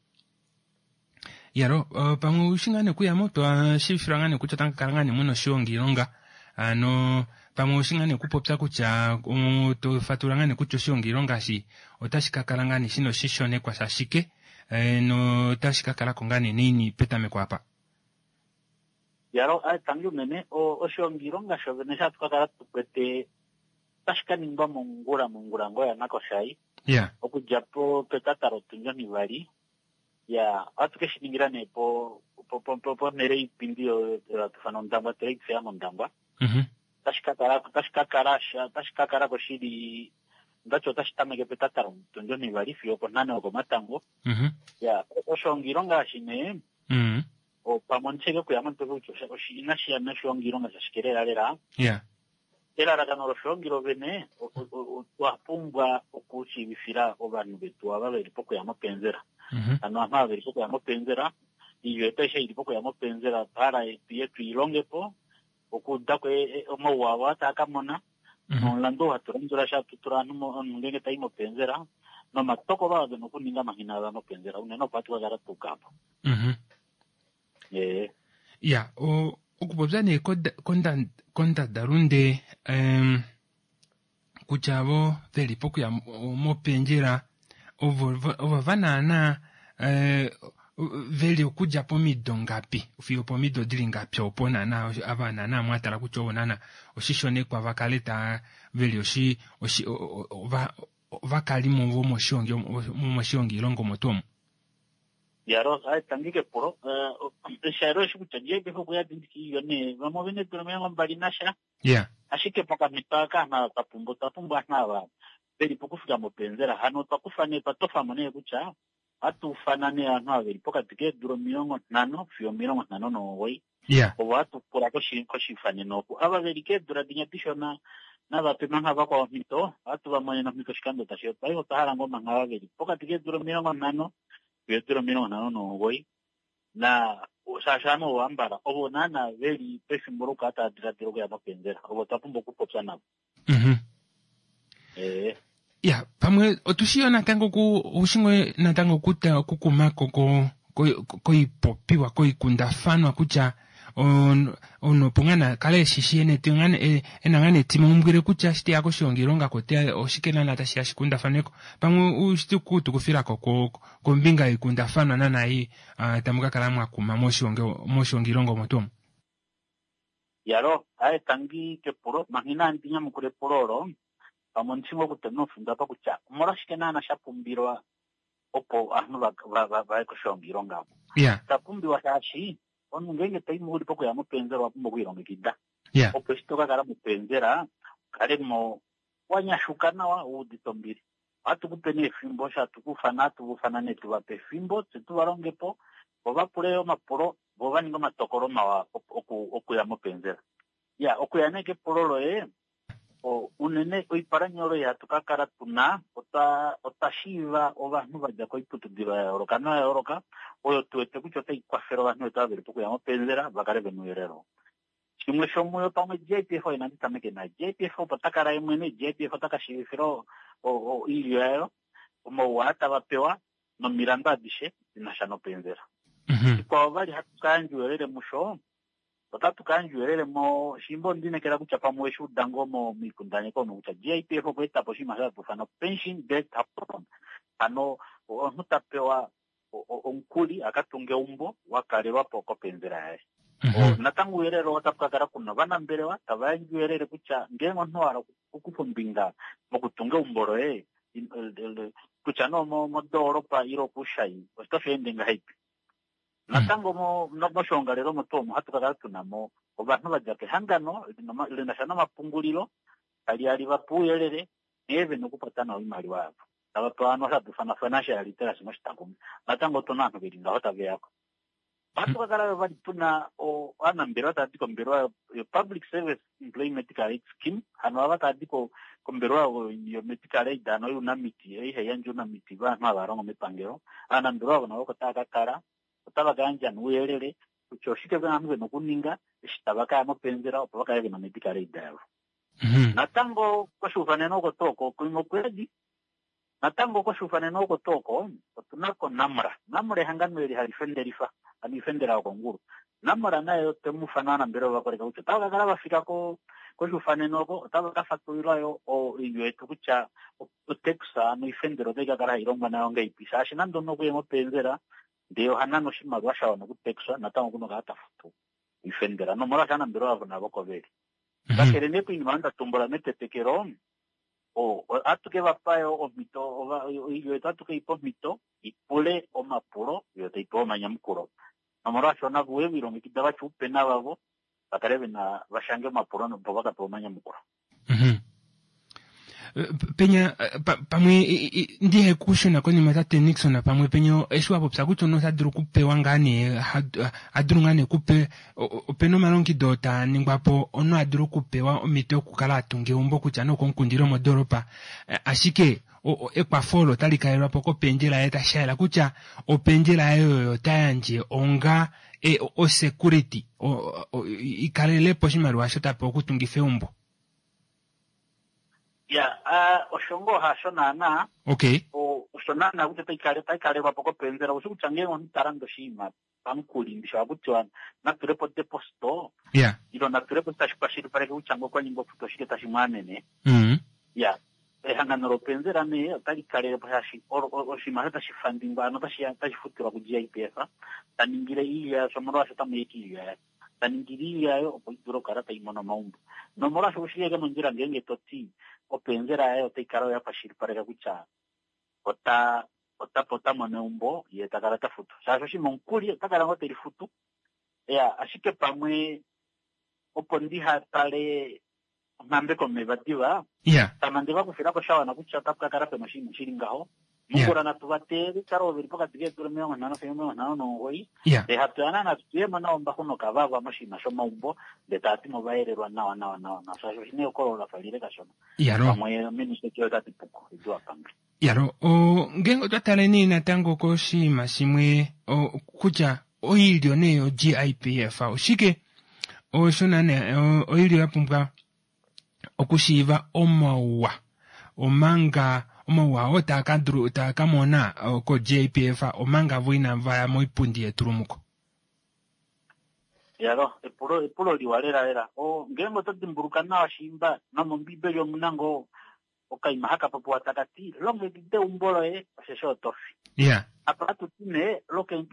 Yalo, pamwe ushi ngaa nee okuyamo twashivifilwa ngaa nee kutya otamukakala ngaa nee muna oshihongilonga. Ano pamwe ushi ngaa nee okupopya kutya tofatula ngaa nee kutya oshihongilonga eshi otashi kakala ngaa nee shina oshishonekwa shashike notashi kakalako ngaa nee naini petameko apa. Yalo, aye tangi unene oshihongilonga shovene sha tukakala tukwete otashi kaningwa mongula, mongula ngoo yanakoshayi. Ya. Okudja petata lotundi onivali. Ya, ohatu ke shi ningila nee ponhele yoipindi oyo hatu ifana Ondangwa Trade Fair mOndangwa. Otashi kakala ko shili, ndati otashi tameke petata lotundi onivali fiyo oponhano yokomatango. Ya, oshihongilonga eshi nee, pamwe ondicheke okuya momutwe kutya inashi ya noshihongilonga shashike lela lela. Ya. Elalakano loshihongilo vene, otwa pumbwa okushivifila ovanhu vetu ava veli pokuya mopenzela. Ano ovanhu ava veli pokuya mopenzela, oilyo yetu aishe ili pokuya mopenzela, otwa yetu ilongepo, okuudako omauwa avo taa ka mona, nomulandu oo hatu landula sha hatu tula ovanhu omunhu ngeenge tai mopenzela, nomatokolo ava vena okuninga manghina ava mopenzela, unene opo hatu kakala tuuka apo. Ya, okupopya nee kondadalunde, kutya vo veli pokuya mopendjela, ovo va naana, veli okudja pomido ngapi, fiyo pomido dili ngapi opo naana, ava naana mwatala kutya ovo naana oshishonekwa va kale ta veli oshi, oshi, o, o, o, va, ovakalimo vomoshihongilongo omo tuu omo. Yalo, aye, tangi kepulo. Osha eshi kutya ngeenge okuya dindiki iyo nee, vamwe ove na eedula 21 nasha. Ya. Ashike pokamhito aka aanhu ava twa pumbwa, otwa pumbwa aanhu ava veli pokufika mopenzela. Hano otwa kufa nee, twa tofamo nee kutya Ohatu ufana nee ovanhu ava veli pokati keedula 50 fiyo 59. Ovo hatu pula koshiifanene oku. Ava veli keedula dinya dishona nava pe mangha vakwao omhito, ohatu va monene omhito oshikando tashi ya. Paife otwa hala ngoo mangha ava veli pokati keedula 50 fiyo eedula 59. Na shaashi ovanhu ovo ambala ovo naana veli pefimbo lokukala tava diladila okuya mopenzela, ovo twa pumbwa okupopya navo. Ee. Ya, pamwe otu shi yo natango ku, oushi ngoo natango okuta okukumako ko, ko, koipopiwa, koikundafanwa kutya omunhu opo ngaa na kale eshishi ena ena ngaa netimaumbwile kutya eshi teya koshihongilonga ko oteya oshike naana tashi ya shikundafanweko. Pamwe oushi kutukufilako kombinga yoikundafanwa naana ei tamu ka kala mwa kuma moshihongilonga omo tuu omo. Yalo, aye tangi kepulo, manga inandi nyamukula epulo olo, pamwe ondi shi ngoo okutema omufindo apa kutya omolwashike naana sha pumbilwa opo ovanhu va ye koshihongilonga oko. Sha pumbiwa shaashi omunhu ngeenge to i mo uli pokuya mopenzela owa pumbwa okwiilongekida. Opo eshi to ka kala mopenzela u kale mo wa nyashuka nawa u udite ombili. Ohatu ku pe nee efimbo, osho hatu ku ufana, ohatu va ufana nee tu va pe efimbo, tse tu va longe po, vo va pule omapulo, vo va ninge omatokolo mawa okuya mopenzela. Ya, okuya nee kepulo loye, unene oipalanyole oyo hatu ka kala tu na, otwa, otwa shiiva ovanhu va dja koiputudilo ya yooloka noya yooloka, oyo tu wete kutya otai kwafele ovanhu vetu ava ve li pokuya mopenzela va kale ve na ouyelele oo. Shimwe shomuyo pamwe JPF oye nandi tameke naye. JPF opo ta kala ye mwene, JPF ota ka shiivifila oilyo yayo omauwa aa tava pewa nomilandu adishe di na sha nopenzela. Shikwao vali hatu ka yandja ouyelele musho, otatu ka yandja ouyelele mo shimba ondi inekela kutya pamwe oweshi uda ngoo moikundaneki omo kutya GIPF okwa eta po oshinima osho hatu ifana pension debt loan. Hano omunhu ta pewa omukuli a ka tunge eumbo wa kalelwa po kopenzela yaye. Natango ouyelele oo otapu ka kala ku na ovanambelewa tava yandje ouyelele kutya ngeenge omunhu wa hala okukufa ombinga mokutunga eumbo loye kutya nee omodoolopa ile okuushai otashi ende ngahelipi. Natango moshoongalele omo tuu omo ohatu ka kala tu na mo ovanhu va dja kehangano li na sha nomapungulilo tali ya li va pe ouyelele nghee ve na okukwata nawa oimaliwa yavo. Tava pewa ano osho hatu ifana financial literacy moshitakumi. Natango otu na ovanhu ve li ngaho tave ya ko. Ohatu ka kala yo vali tu na ovanambelewa tava di kombelewa yo-Public Service Employee Medical Aid Scheme, hano ava tava di kombelewa yo-medical aid, hano younamiti, ei hai yandje ounamiti vanhu hava longo mepangelo. Ovanambelewa ovo navo oko tava ka kala, otava ka yandja ouyelele kutya oshike ovanhu ve na okuninga eshi tava ka ya mopenzela opo va kale ve na medical aid yavo. Natango koshiufanene oko tuu oko, kuimwe okuyadi. Natango koshiufanene oko tuu oko, otu na ko NamRa. NamRa ehangano eli hali fendelifa, hano oifendela yokongulu. NamRa naye otwe mu ufana ovanambelewa va koleka kutya otava ka kala va fika koshiufanene oko, otava ka fatulila yo oilyo yetu kutya otax, hano oifendela otai ka kala hai longwa nayo ngahelipi, shaashi nande omunhu okuye mopenzela ndee oha nane oshimaliwa sha wana okutaxwa, natango oku na okukala ta futu oifendela. Nomolwaasho ovanambelewa avo navo oko ve li. Kakele nee koinima oyo nda tumbula metetekelo, ohatu ke va pa yo omhito, oilyo yetu ohatu ke i pa omhito i pule omapulo yo tai pewa omanyamukulo. Nomolwaasho navo ve lilongekida va tya oupena vavo va kale ve na va shange omapulo opo va ka pewe omanyamukulo. Penya pamwe ndihe kushuna konima tate Nixon pamwe penya eshi wa popya kutya omunhu ota dulu okupewa ngaa nee a dulu ngaa nee okupe opena omalongido oo taa ningwa po omunhu a dulu okupewa omhito yokukala a tunga eumbo kutya nee okomukunda ile omodoolopa ashike ekwafo olo otali kalelwa po kopendjela yaye tashi yela kutya opendjela yaye oyo ta yandje onga osecurity ikalele po oshimaliwa osho ta pewa okutungifa eumbo. Ya, osho ngoo hasho naanaa. Okay. Osho naanaa kutya otai kalelwa po kopenzela. Osho kutya ngeenge omunhu ta lande oshinima pamukuli, ndishi ohaku tiwa na tule po deposito. Yeah. Ilo na tule po tashi kwashilipaleke kutya ngee okwa nyengwa okufuta oshike tashi mu amene. Ya, ehangano lopenzela nee otali kalele po shaashi oshinima osho tashi fandingwa ano otashi futilwa ku-GIPF, ta ningile iilyo yasho omolwaasho otamu ya iilyo yaye. Ta ningile iilyo yayo opo i dule okukala tai mono omaumbo. Nomolwaasho oshi li mondjila ngeenge to ti openzela yaye otai kala oyo ya kwashilipaleka kutya ota ota ota mono eumbo ye ta kala ta futu. Shaashi oshinima omukuli ota kala ngoo te lifutu. Ya, ashike pamwe opo ndiha tale onghambe komeva diva, tama nde va kufila ko sha wana kutya otapu ka kala pena oshinima shi li ngaho. Mongula natu va teelele kale ove li pokati keedula 50 fiyo 59, ndee hatu ya naana tu ye mo nao ombaxu nokavava moshinima shomaumbo, ndee tava ti mo va yelelwa nawa nawa nawa nawa, shaashi oshi na ehokololo la fa lile kashona. Pamwe minista Joe ota ti puko, edu a pange. Yalo, o, ngeenge otwa tale nee natango koshinima shimwe o, kutya oilyo nee yo-GIPF oshike osho naana oilyo ya pumbwa okushiiva omauwa omanga omauwa oo taa ka dulu taa ka mona ko-GIPF omanga vo inava ya moipundi yetulumuko. Yalo, epulo epulo liwa lela lela. O, ngeenge oto dimbuluka nawa shiimba nomOmbiibeli omu na ngoo okaima haka popiwa taka ti, Longekida eumbo loye, osheshi oto fi. Yeah. Apa hatu ti nee,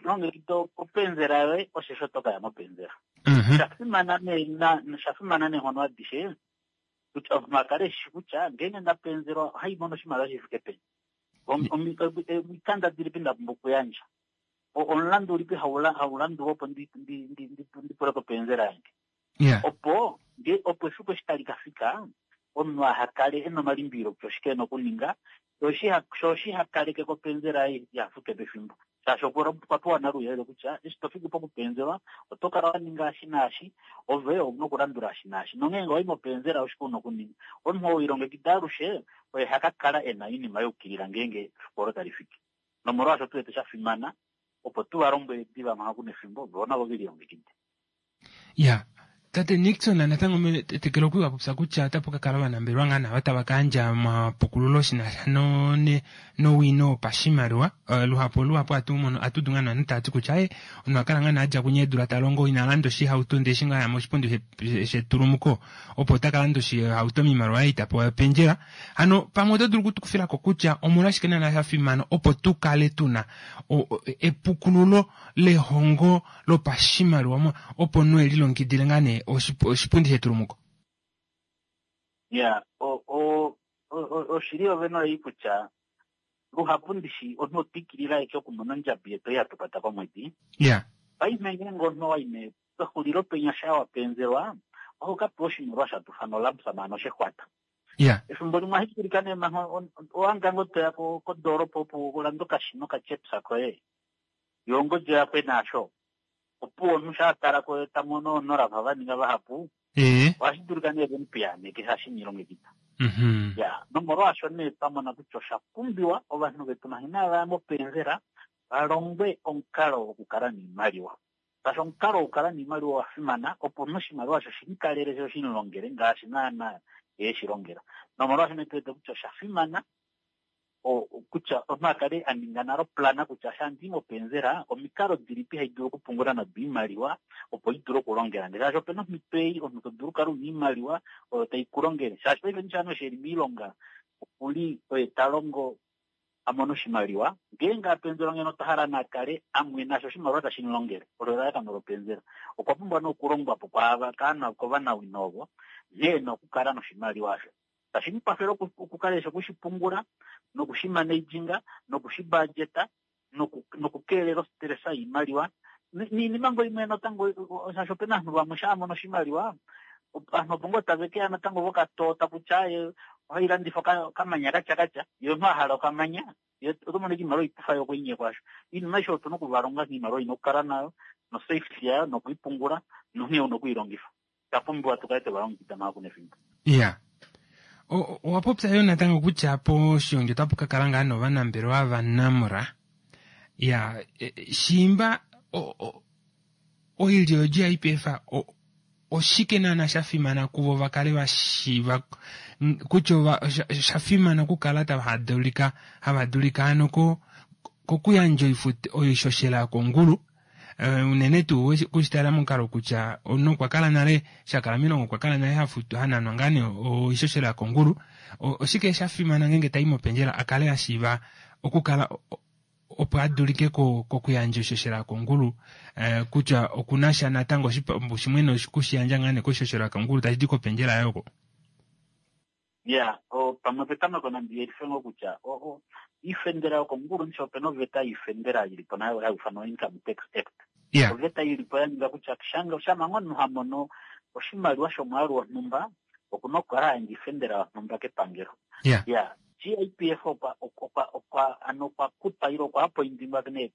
longekida openzela yoye, osheshi oto ka ya mopenzela. Sha fimana nee na, sha fimana neenghono adishe, kutya omunhu a kale e shi kutya ngeenge nda penzelwa ohai mono oshimaliwa shi fike peni. Omikanda dilipi nda pumbwa okuyandja? Omulandu ulipi hau landulwa opo ndi, ndi, ndi, ndi, ndi pule kopenzela yange? Yeah. Opo nge opo efiku eshi tali ka fika, omunhu aha kale e na omalimbililo kutya oshike e na okuninga, sho oshi ha kaleke ko openzela yaye iha fute pefimbo. Shaashi okwa pewa nale ouyelele kutya eshi to fiki pokupenzelwa oto kala wa ninga eshi naashi, ove ou na okulandula eshi naashi. Nonghee ngee owa i mopenzela oshike u na okuninga. Omunhu oo ilongekida alushe oye ha ka kala e na oinima ya yukilila ngeenge efiku olo tali fiki. Nomolwaasho tu wete sha fimana opo tu va lombwele diva manga ku na efimbo, vo navo ve lilongekide. Ya, tate Nixon natango metetekelo okwa li wa popya kutya otapu ka kala ovanambelewa ngaa nava tava ka yandja omapukululo shi na sha no, ne, nowino wopashimaliwa. Uh, luhapu luhapu atu mono atu udu ngaa novanhu tava ti kutya e omunhu a kala ngaa nee a dja kunya eedula ta longo ina landa oshihauto ndele eshi ngaa a ya moshipundi shetulumuko opo ota ka landa oshihauto moimaliwa ei ta pewa yopendjela. Hano pamwe oto dulu okutukufila ko kutya omolwashike naana sha fimana opo tu kale tu na epukululo lehongo lopashimaliwa opo omunhu e lilongekidile ngaa nee oshipundi shetulumuko? Ya, oshili yovene oyeyi kutya luhapu ndishi omunhu otwa ikilila ashike okumona ondjabi yetu ei hatu kwata komwedi. Ya. Paife ngeenge omunhu owa yi pexulilo penya shaa wa penzelwa, oho ka pewa oshimaliwa sha tufa nolump sum ano shexwata. Ya. Efimbo limwe ohashi dulika nee manga owanga ngoo toya kodoolopa opo u lande okashina okachepsa koye, yo ongodi oya kwena asho. Opuwo omunhu shaa tala ko ta mono oonolava va ninga vahapu, ohashi dulika nee ve mu piyaaneke shaashi ina ilongekida. Ya, nomolwaasho nee twa mona kutya osha pumbiwa ovanhu vetu manga inava ya mopenzela va longwe omukalo wokukala niimaliwa. Shaashi omukalo wokukala niimaliwa owa fimana opo omunhu oshimaliwa osho shi mu kalele sho shi mu longele ngaashi naana ye eshi longela. Nomolwaasho nee tu wete kutya osha fimana kutya omunhu a kale a ninga nale oplana kutya sha ndi mopenzela omikalo dilipi hai dulu okupungula nado oimaliwa opo i dule okulongela nge shaashi opena omhito ei omunhu to dulu okukala una oimaliwa oyo tai ku longele shaashi paife ndishi ovanhu eshi eli moilonga okuli oye ta longo a mone oshimaliwa ngeenge a penzelwa ngeno otwa hala na kale a mwena sho oshimaliwa tashi mu longele olo elalakano lopenzela okwa pumbwa nee okulongwa po kwaava kaanhu kovanawino ovo nghee ena okukala noshimaliwa osho Tashi mu kwafele okukala eshi oku shi pungula, noku shi managing, noku shi budgeta, noku nokukeelela ostressa yiimaliwa niinima ngo imwe natango shaashi opena aantu vamwe shaa mono oshimaliwa aantu opo ngoo tave ke ya natango vokatoota kutya ye ohayi landifa okamanya katya katya ye omuntu a hala okamanya ye oto mono iimaliwa oikufa yo okwiinyekwa asho iinima aishe otu na okuvalonga nghee iimaliwa ina okukala nayo nosafety yayo nokuyi pungula nonghee una okuyi longifa Osha pumbiwa tu kale twe va longekida manga ku na efimbo. Iya. Owa popya yo natango kutya poshigongi otapu ka kala ngaa novanambelewa vaNamra. Ya, e, shiimba oilyo yoGIPF oshike naana sha fimana kuvo va kale va shiiva kutya osha fimana okukala tava dulika hava dulika ano kokuyandja oishoshela yokongulu Eh, unene tuu kushitala momukalo kutya omunhu okwa kala nale sha kala milongo okwa kala nale hafutu hananwa ngaa nee oishoshela yokongulu oshike sha fimana ngeenge tai mopendjela a kale a shiiva okukala opo a dulike kokuyandja oishoshela yokongulu eh, kutya okuna sha natango oshipambu shimwe nokushiyandja ngaa nee koishoshela yokongulu tashi di kopendjela yaye oko Ya, pamwe petameko nandi yelife ngoo kutya iifendela yokongulu ndishi opena oveta yiifendela yili po nayo hayi ithanwa Income Tax Act. Yeah. Oveta yili po ya ninga kutya shanga shampa ngoo omunhu ha mono oshimaliwa shomwaalu wonhumba okuna okukala a yandja iifendela yonhumba kepangelo. Yeah. Ya. GIPF okwa okwa okwa ano okwa kutwa ile okwa apoindingwa nee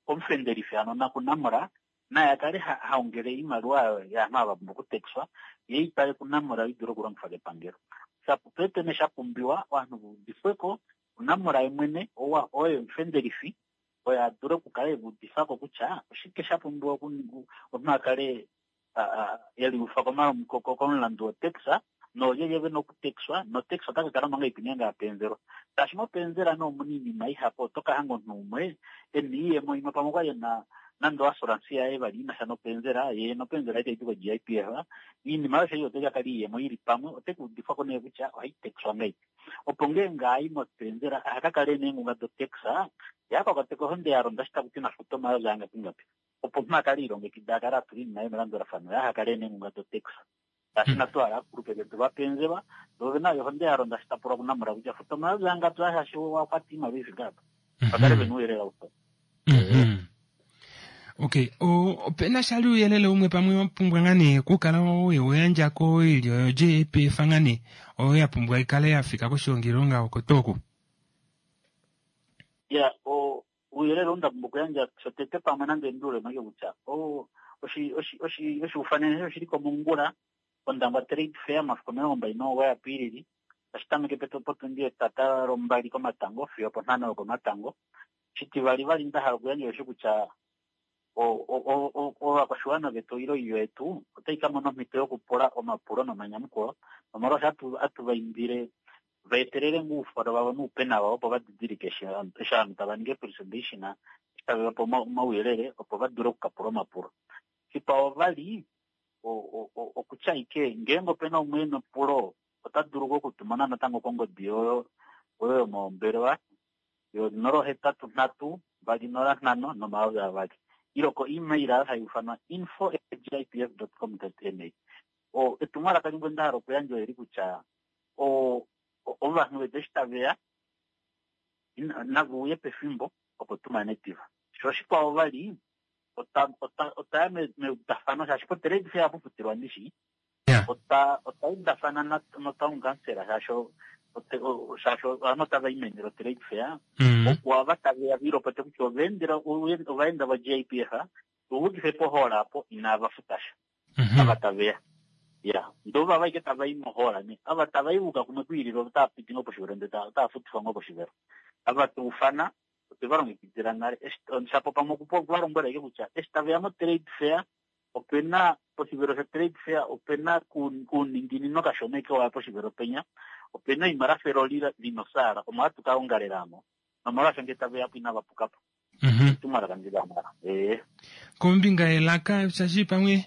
komufendelifi ano nakuNamra naye a kale ha ongele oimaliwa yaanhu ava va pumbwa okutekiswa ye i twale kuNamra i dule okulongifwa kepangelo. Shapu nee sha pumbiwa ovanhu va udifwe ko kuNamra ye mwene ou oye omufendelifi oye a dule okukala e va udifa ko kutya oshike sha pumbiwa omunhu a kale e liufa komulandu wotax noolyelye ve na okutekiswa notax ota ka kala mo ngahelipi ngeenge a penzelwa. Shaashi mopenzela nee omuna oinima ihapu oto ka hanga omunhu umwe e na oiyemo imwe pamwe okwali e na nande oassurance yaye vali ina sha nopenzela ye nopenzela yaye taidi ko-GIPF oinima aishe ei otai ka kala oiyemo ili pamwe ote ka udifwa ko nee kutya ohai tekiswa ngahelipi opo ngeenge ai mopenzela aha ka kale e na eengunga dotax ye a ka kwatwe kohonde ya londa eshi taku ti nafute omayovi angapi ngapi opo omunhu a kale e lilongekida a kale a tula oinima yaye melandulafano ye aha kale e na eengunga dotax. Shaashi inatu hala aakulupe vetu va penzelwa, vo ove na yo ohonde ya londa eshi ta pulwa kuNamra kutya futa omayovi angapi aa shaashi owa kwata oimaliwa i fike apa. Va kale ve na ouyelele aushe. Okay, ope na shali ouyelele umwe pamwe wa pumbwa ngaa nee okukala we u yandja koilyo yoJPF ngaa nee oyo ya pumbwa i kale ya fika koshihongilonga oko tuu oku? Ya, ouyelele ou nda pumbwa okuyandja shotete pamwe nande ndi ulemo ashike kutya oshiufanene eshi oshili ko mongula kOndangwa Trade Fair omafiku 29 Apiilili tashi tameke potundi yetata lombali komatango fiyo oponhano yokomatango. Shitivali vali nda hala okuyandja osho kutya ovakwashiwana vetu ile oilyo yetu otai ka mona omhito yokupula omapulo nomanyamukulo nomolwaasho hatu va indile va etelele ngoo oufolo vavo noupena vavo opo va didilike eshi ovanhu tava ningi eepresentation eshi tave va pe omauyelele opo va dule okukapula omapulo. Shikwao vali okutya ashike ngeenge ope na umwe e na epulo ota dulu ngoo okutumona natango kongodi oyo yomombelewa yo 083 205 nomayovi ile ko email oyo hai ufanwa info@gipf.com.na. Etumwalaka limwe nda hala okuyandja oleli kutya ovanhu vetu eshi tave ya nave uye pefimbo opo tu mane diva. Sho oshikwao vali otwa ya meudafano shaashi potrade fair ohapu futilwa ndishi. Otwa udafana notown council shaashi shaashi ovanhu otava i meni lotrade fair. Opo ava tave ya va ilopote kutya ovaenda voGIPF tu udife pohall apo inava futa sha. Ava tave ya. Ya, ndee ovava ashike tava i mohall nee. Ava tava i vuka kumwe kwiilile otava piti ngoo poshivelo ndee otava futifwa ngoo poshivelo. Ava twa ufana otwe va longekidila nale. Shapo pamwe okuva lombwela ashike kutya eshi tave ya motrade fair ope na poshivelo shotrade fair ope na kuuninginino kashona ashike waya poshivelo penya ope na oima lafa eloli lina osaala omo hatu ka ongalela aamo nomolwaasho ngee tave ya po inava puka po. Etumwalaka ndi la hala. Ee. Kombinga yelaka shaashi pamwe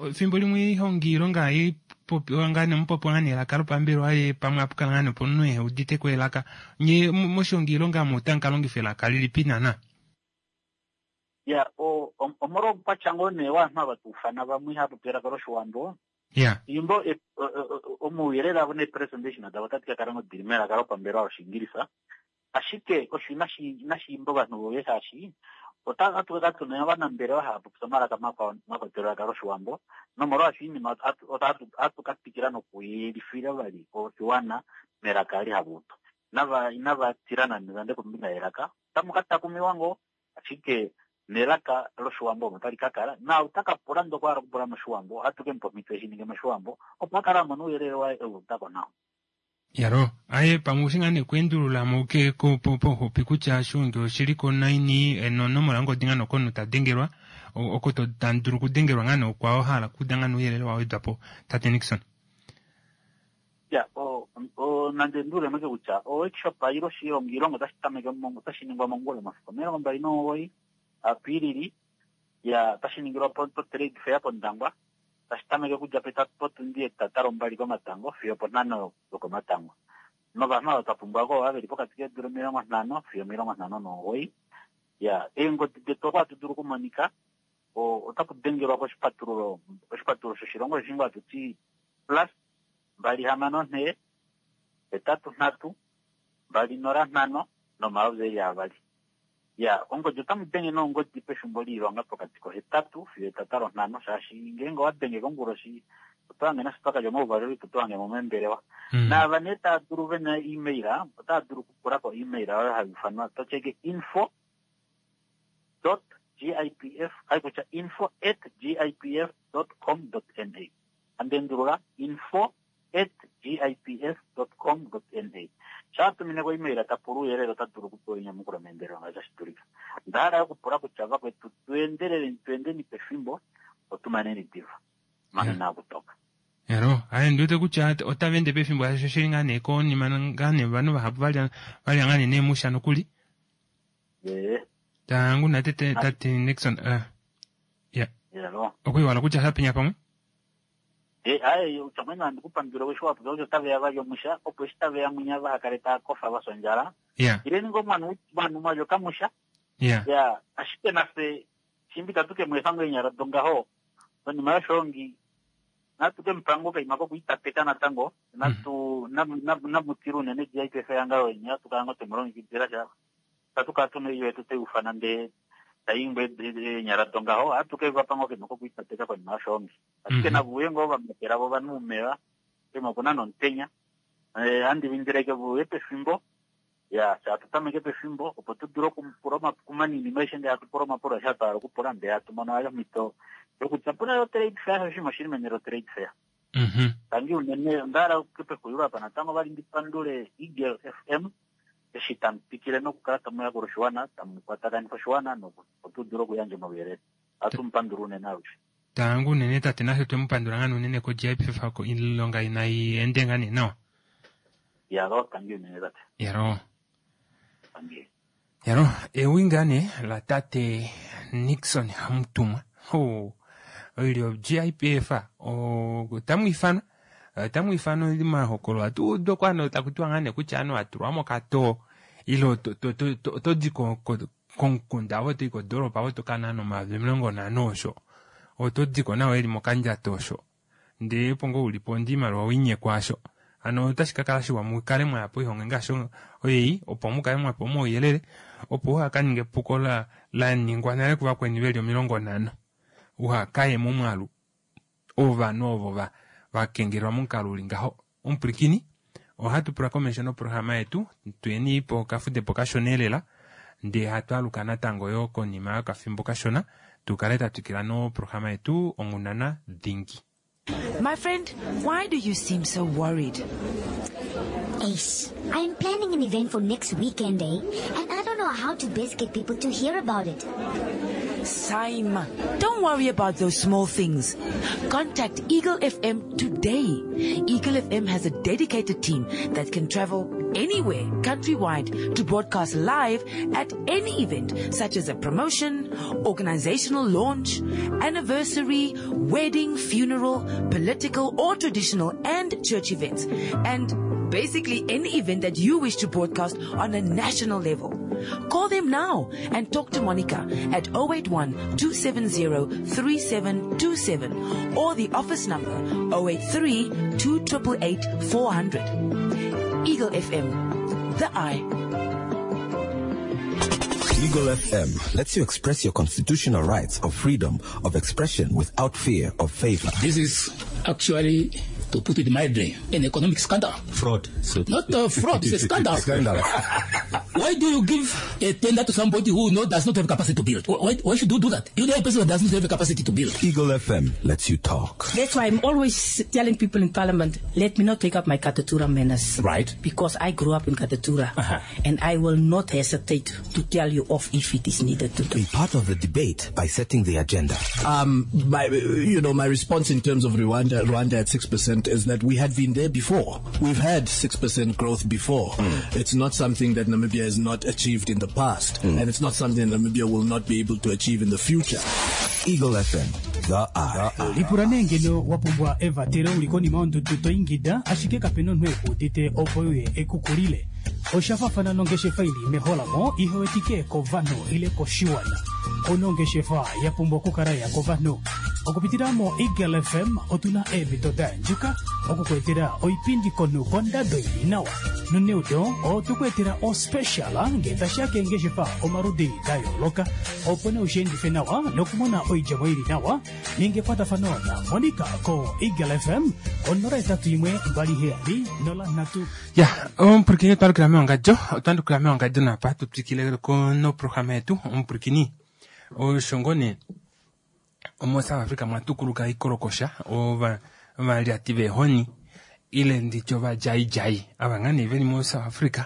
efimbo limwe oihongi ilonga hai popiwa ngaa nee omupopiwa ngaa nee elaka lopambelewa ye pamwe apu kala ngaa nee opo omunhu ehe udite ko elaka. Nye moshihongi ilonga omu otamu ka longifa elaka lilipi naana? Ya, omolwa oukwatya ngoo nee wovanhu ava twa ufana vamwe ihava popi elaka lOshiwambo, Imbo omauyelele avo neepresentation davo otadi ka kala ngoo dili melaka lopambelewa lOshiingilisa. Ashike osho inashi imba ovanhu voye shaashi ohatu ka kala tuna ovanambelewa hava popi omalaka makwao mwa kwatelwa elaka lOshiwambo, nomolwaasho oinima ohatu ka twikila nokuyelifila vali oshiwana melaka eli hava udu. Inava tila nande nande kombinga yelaka, otamu ka takumiwa ngoo, ashike nelaka lOshiwambo omo tali ka kala, naau ta ka pula ndee okwa hala okupula mOshiwambo, ohatu ke mu pa omhito eshi ninge mOshiwambo, opo a kale a mona ouyelele waye e u uda ko nawa. Yalo, aye pamwe oushi ngaa nee okweendulula mo ke ko po pauxupi kutya oshiungi oshili ko naini nonomola yongodi ngaa nee oko omunhu ta dengelwa oko to tamu dulu okudengelwa ngaa nee okwao hala okuuda ngaa nee ouyelele wa wedwa po tate Nixon. Ya, o, o, nande ndi ulemo kutya o workshop ile oshilonga otashi tameke otashi ningwa mongula omafiku 29 Apiilili, ya, otashi ningilwa po, po Trade Fair pOndangwa. Tashi tameke okudja potundi yetata lombali komatango fiyo oponhano yokomatango. Novanhu ava twa pumbwa ko ova veli pokati keedula 50 fiyo 59. Ya, eengodi detu oko hatu dulu okumonika, otaku dengelwa koshipatululo, oshipatululo shoshilongo osho hatu ti plus 264 83 205 nomayovi eli avali. Ya, ongodi otamu denge nee ongodi pefimbo loilonga pokati kohetatu fiyo etata lonhano, shaashi ngeenge owa denge konguloshi Oto hange nafye twa kalya omauvalelo ito tu hange mo meembelewa. Naava nee tava dulu ve na email, otava dulu okupula ko email oyo hai ufanwa to tyeke info dot gipf, hai kutya info at gipf dot com dot na. Handi endulula, info at gipf dot com dot na. Shaa tumine ko email ta pula ouyelele ota dulu okupewa enyamukulo meendelelo ngaashi tashi dulika. Onda hala yo okupula kutya vakwetu tu endeleleni tu endeni pefimbo opo tu maneni diva. Manga inaaku toka. Elo, aye ndi wete kutya otava ende pefimbo shaashi oshili ngaa nee konima ngaa nee ovanhu vahapu valya valya ngaa nee neemusha nokuli. Ee. Tangu na tete tate Nixon eh ya. Elo. Okwiiwala kutya sha penya pamwe. E, aye utya mwene handi ku pandula eshi wa popya kutya otave ya valya omusha opo eshi tave ya mwinya vaha kale tava kofa va fya ondjala. Ya. Ileni ngoo mwanhu mwanhu mwalya okamusha. Ya. Ya, ashike nafye Shimba itatu ke mu efa ngoo eenyala dongaho, konima yoshoongi natu ke mu pa ngoo okaima kokwiitateka natango, natu namu tile unene GIPF ehangano leni, ohatu kala ngoo twe mu longekidila sha. Itatu kala tu na oilyo yetu tai ufana ndee tai ingwa eenyala dongaho, ohatu ke va pa ngoo okaima kokwiitateka konima yoshoongi. Ashike nave uye ngoo va makela vo ovanhu omeva, poima opu na nomutenya. Ohandi va indile ashike ve uye pefimbo. Ya, fye hatu tameke pefimbo opo tu dule okupula omapulo manini maishe ndee hatu pula omapulo aeshe twa hala okupula ndee hatu mono vali omhito yokutyapula yo trade fair oshinima oshili meni lo trade fair. Tangi unene onda hala pexulilo apa natango vali ndi pandule Eagle FM eshi tamu twikile nokukala tamu yakula oshiwana, tamu kwatakanifa oshiwana opo tu dule okuyandja omauyelele. Ohatu mu pandula unene alushe. Tangi unene tate nafye twe mu pandula ngaa unene ko GIPF oilonga inai ende ngaa nee nawa. Yalo, tangi unene tate. Yalo. Tangi. Yalo, ewi ngaa nee la tate Nixon Hamutumwa. Oh, oilyo GIPF otamu ifanwa otamu ifanwa omahokolo atu udu oko ano taku tiwa ngaa nee kutya anu atulwa mokatoo ile oto di komukunda ove otoyi kodoolopa ove oto ka nana 50,000 osho oto diko nawa eli mokandjato osho Ndee opo ngoo u li po ndee oimaliwa owe i nyekwa asho. Hano otashi ka kala shiwa mu kale mwa ya poihonge ngaashi ei opo mu kale mwa pewa omauyelele opo uha ka ninge epuko la la ningwa nale kuvakweni ve li 50. Uha ka ye momwaalu wovanhu ovo va va kengelelwa momukalo u li ngaho. Omupwilikini, ohatu pula komesho noprograma yetu, tuyeni pokafudepo kashona elela, ndee hatu aluka natango yoo konima yokafimbo kashona tu kale twa twikila noprograma yetu Onghundana Dhingi. My friend, why do you seem so worried? Ace, I am planning an event for next weekend, eh? And I don't know how to best get people to hear about it. Saima, don't worry about those small things. Contact Eagle FM today. Eagle FM has a dedicated team that can travel anywhere countrywide to broadcast live at any event such as a promotion, organizational launch, anniversary, wedding, funeral, political or traditional and church events. And basically any event that you wish to broadcast on a national level. Call them now and talk to Monica at 081 270 3727 or the office number 083 2888 400. Eagle FM, the eye. Eagle FM lets you express your constitutional rights of freedom of expression without fear of favor. This is actually, to put it mildly, an economic scandal. Fraud. So Not a fraud, it's a scandal. Scandal. Why do you give a tender to somebody who does not have capacity to build? Why should you do that? You know a person who does not have capacity to build. Eagle FM lets you talk. That's why I'm always telling people in Parliament, let me not take up my Katutura manners. Because I grew up in Katutura. And I will not hesitate to tell you off if it is needed to do. Be part of the debate by setting the agenda. My response in terms of Rwanda at 6% is that we had been there before. We've had 6% growth before. It's not something that Namibia has not achieved in the past, and it's not something that Namibia will not be able to achieve in the future. Eagle FM, the eye. Lipula nee ngeno wa pumbwa evatelo u li konima yondudu to ingida ashike kape na omunhu e ku udite opo e uye e ku kulile. Osha faafana nongeshefa i li meholamo ihe wetike kovanhu ile koshiwana. Ou na ongeshefa ya pumbwa okukala ya kovanhu. Okupitila moEagle FM otu na eemhito da yandjuka okukuetela oipindi konhu kondado ili nawa. Noneudo otwe ku etela ospecial ngee tashi ya keengeshefa omaludi da yooloka opo nee ushiendife nawa nokumona oidjemo ili nawa. Ninga ekwatafano na Monica ko Eagle FM ko 081 27 03. Ya, omupulakeni otwa lukila mewangadjo, otwa lukila mewangadjo napa tu twikile ko noprograma yetu omupulakeni osho ngoo nee omo South Africa mwa tukuluka ikolokosha ova ovalyati veehoni ile nditye ovadjaidjai ava ngaa nee veli mo South Africa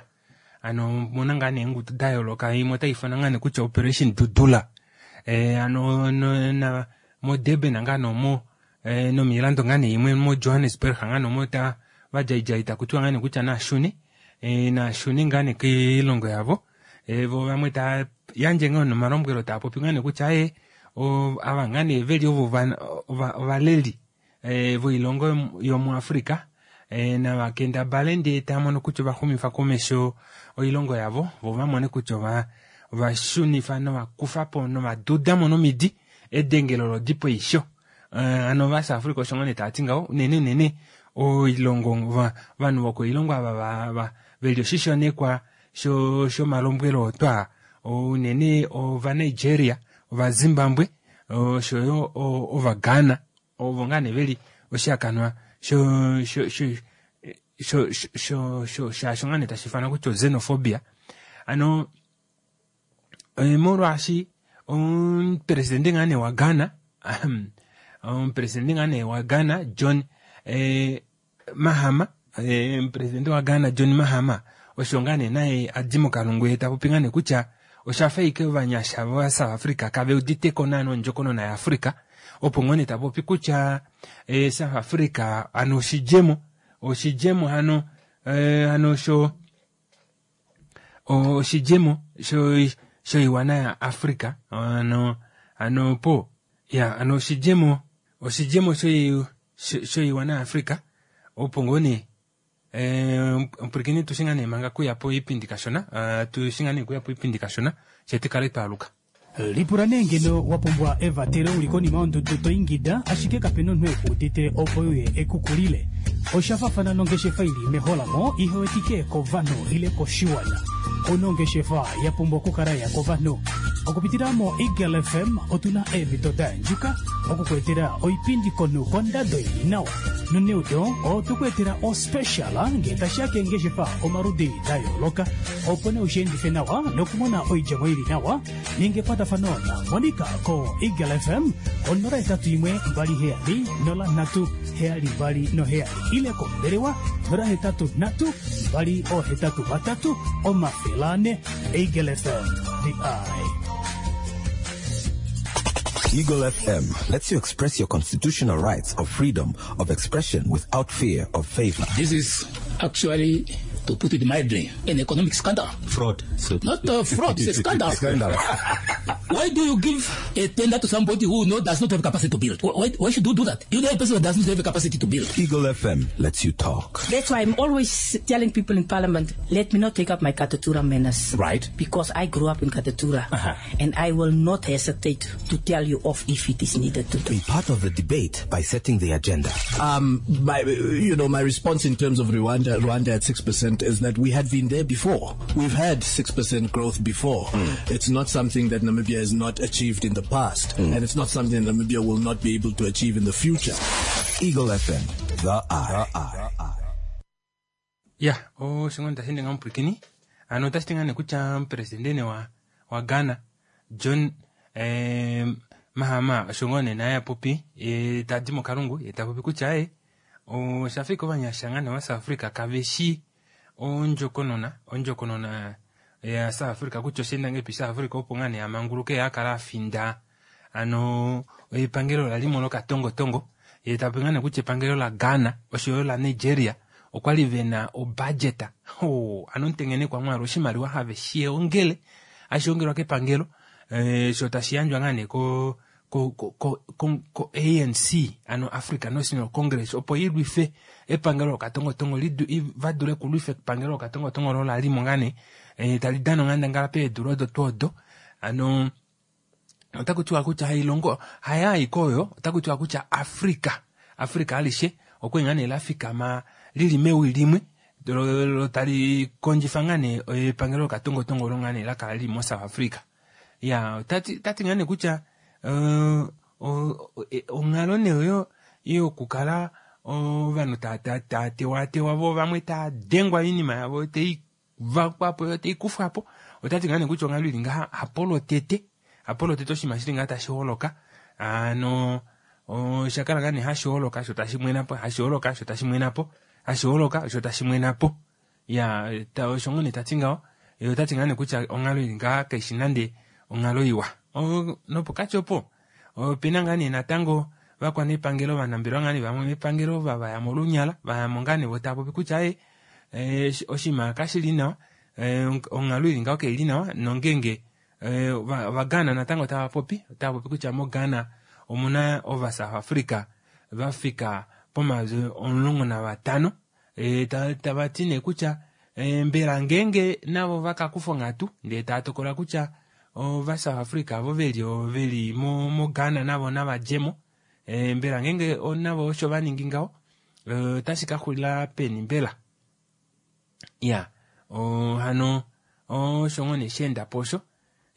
ano omuna ngaa nee eengudu da yooloka imwe otai ifanwa ngaa nee kutya Operation Dudula eh, ano no, na mo Durban ngaa nee omo eh, nomiilando ngaa nee imwe mo Johannesburg ngaa nee omo ta vadjaidjai taku tiwa ngaa nee kutya naashune eh, naashune ngaa nee kiilongo yavo eh, vo vamwe taa yandje ngoo nomalombwelo taa popi ngaa nee kutya eh, ava ngaa nee veli ovo ovaleli eh, voilongo yomuAfrica eh, nava kendabale ndee taa mono kutya ovaxumifa komesho oilongo yavo vo vamone kutya ova ovashunifa novakufa po novaduda mo nomidi edengelo lodipo eisho eh, ano vaSouth Africa osho ngoo nee tava ti ngaho unene unene oilongo ovanhu vokoilongo ava veli oshishonekwa shomalombwelo otwa unene ovaNigeria ovaZimbabwe oshoyo ovaGhana ovo ngaa nee veli oshihakanwa shaasho ngaa nee tashi ifanwa kutya oxenophobia ano molwaashi omupresidente ngaa nee waGhana omupresidente ngaa nee waGhana John Mahama omupresidente waGhana John Mahama osho ngaa nee naye a di mokalungu ye ta popi ngaa nee kutya osha fa ike ovanyasha vaSouth Africa kave uditeko naana ondjokonona yaAfrica opo ngoo nee ta popi kutya South Africa ano oshidjemo oshidjemo hano hano sho oshidjemo shoiwana yaAfrica ano ano po ya ano oshidjemo oshidjemo shoiwana yaAfrica opo ngoo nee omupwilikini tu shinga nee manga kuya po oipindi kashona tu shinga nee kuya po oipindi kashona fye tukale twaaluka. Lipula nee ngeno wa pumbwa evatelo uli konima yondudu to ingida ashike kape na omunhu eku udite opo euye eku kulile. Osha fafana nongeshefa ili meholamo ihe wetike kovanhu ile koshiwana. Ouna ongeshefa ya pumbwa okukala ya kovanhu. Okupitila mo Eagle FM otu na eemhito da yandjuka oku ku etela oipindi konhu kondado ili nawa. Noneudo otwe ku etela ospecial ngee tashi ya keengeshefa omaludi da yooloka opo nee ushiendife nawa nokumona oidjemo ili nawa. Ninga ekwatafano na Monica ko Eagle FM ko 081 27 03 727 ile kombelewa 083 283 400. Eagle FM, the eye. Eagle FM lets you express your constitutional rights of freedom of expression without fear of favor. This is actually, to put it mildly, an economic scandal. Fraud. So Not a fraud, it's a scandal. Scandal. Why do you give a tender to somebody who does not have capacity to build? Why should you do that? You know a person who does not have a capacity to build. Eagle FM lets you talk. That's why I'm always telling people in Parliament, let me not take up my Katutura manners. Right. Because I grew up in Katutura. And I will not hesitate to tell you off if it is needed to do. Be part of the debate by setting the agenda. My response in terms of Rwanda at 6% is that we had been there before. We've had 6% growth before. It's not something that Namibia has not achieved in the past, and it's not something that Namibia will not be able to achieve in the future. Eagle FM, the eye. Ya, oshingo tashi ndinga omupwilikini. Ano otashi ti ngaa nee kutya omupresidente wa Ghana, John Mahama, osho ngoo nee naye a popi, ye ta di mokalungu, ye ta popi kutya osha fika ovanyasha ngaa nee wa South Africa kave shi ondjokonona ya South Africa kutya osha enda ngahelipi South Africa opo ngaa nee a manguluke a kala a finda ano epangelo la limo lokatongotongo, ye ta popi ngaa nee kutya epangelo la Ghana oshoyo la Nigeria okwali vena obudget. Oh, ano ntengenekwa mwaalu oshimaliwa have shi ongele, hashi ongelwa kepangelo, sho tashi yandjwa ngaa nee ko ANC, ano Africa National Congress, opo ilwife epangelo lokatongotongo, va dule okulwifa epangelo lokatongotongo lo la limo ngaa nee, tali dana onghandangala peedula odo tuu odo. Ano, Otaku tiwa kutya hailongo haya aike oyo, otaku tiwa kutya Africa, Africa alishe okwali ngaa nee la fikama lili mewi limwe lo tali kondjifa ngaa nee epangelo lokatongotongo olo ngaa nee la kala lili mo South Africa. Ya, otati tati ngaa nee kutya onghalo nee oyo yokukala ovanhu tava tewaatewa vo vamwe tava dengwa oinima yavo tai vakwapo yo tai kufwapo, otati ngaa nee kutya onghalo ili ngaha hapo lwotete, hapo lwotete oshinima shili ngaha tashi holoka. Hano osha kala ngaa nee hashi holoka sho tashi mwena po, hashi holoka sho tashi mwena po, hashi holoka sho tashi mwena po. Ya, osho ngoo nee tati ngaho. Ye otati ngaa nee kutya onghalo ili ngaha kaishi nande onghalo iwa. Nopokati opo opena ngaa nee natango vakwanepangelo ovanambelewa ngaa nee vamwe mepangelo vavaya molunyala, vayamo ngaa nee vo tava popi kutya ee oshinima kashili nawa, onghalo ili ngaho kaili nawa, nongenge ovaGhana natango tava popi, otava popi kutya moGhana omuna ovaSouth Africa vafika pomayovi 15, tava ti nee kutya mbela ngeenge navo vakakufa onghatu ndee tava tokola kutya ovaSouth Africa avo veli moGhana navo nava djemo, mbela ngeenge navo osho vaningi ngaho otashi ka xulila peni mbela? Ya, hano osho ngoo nee sheenda po osho.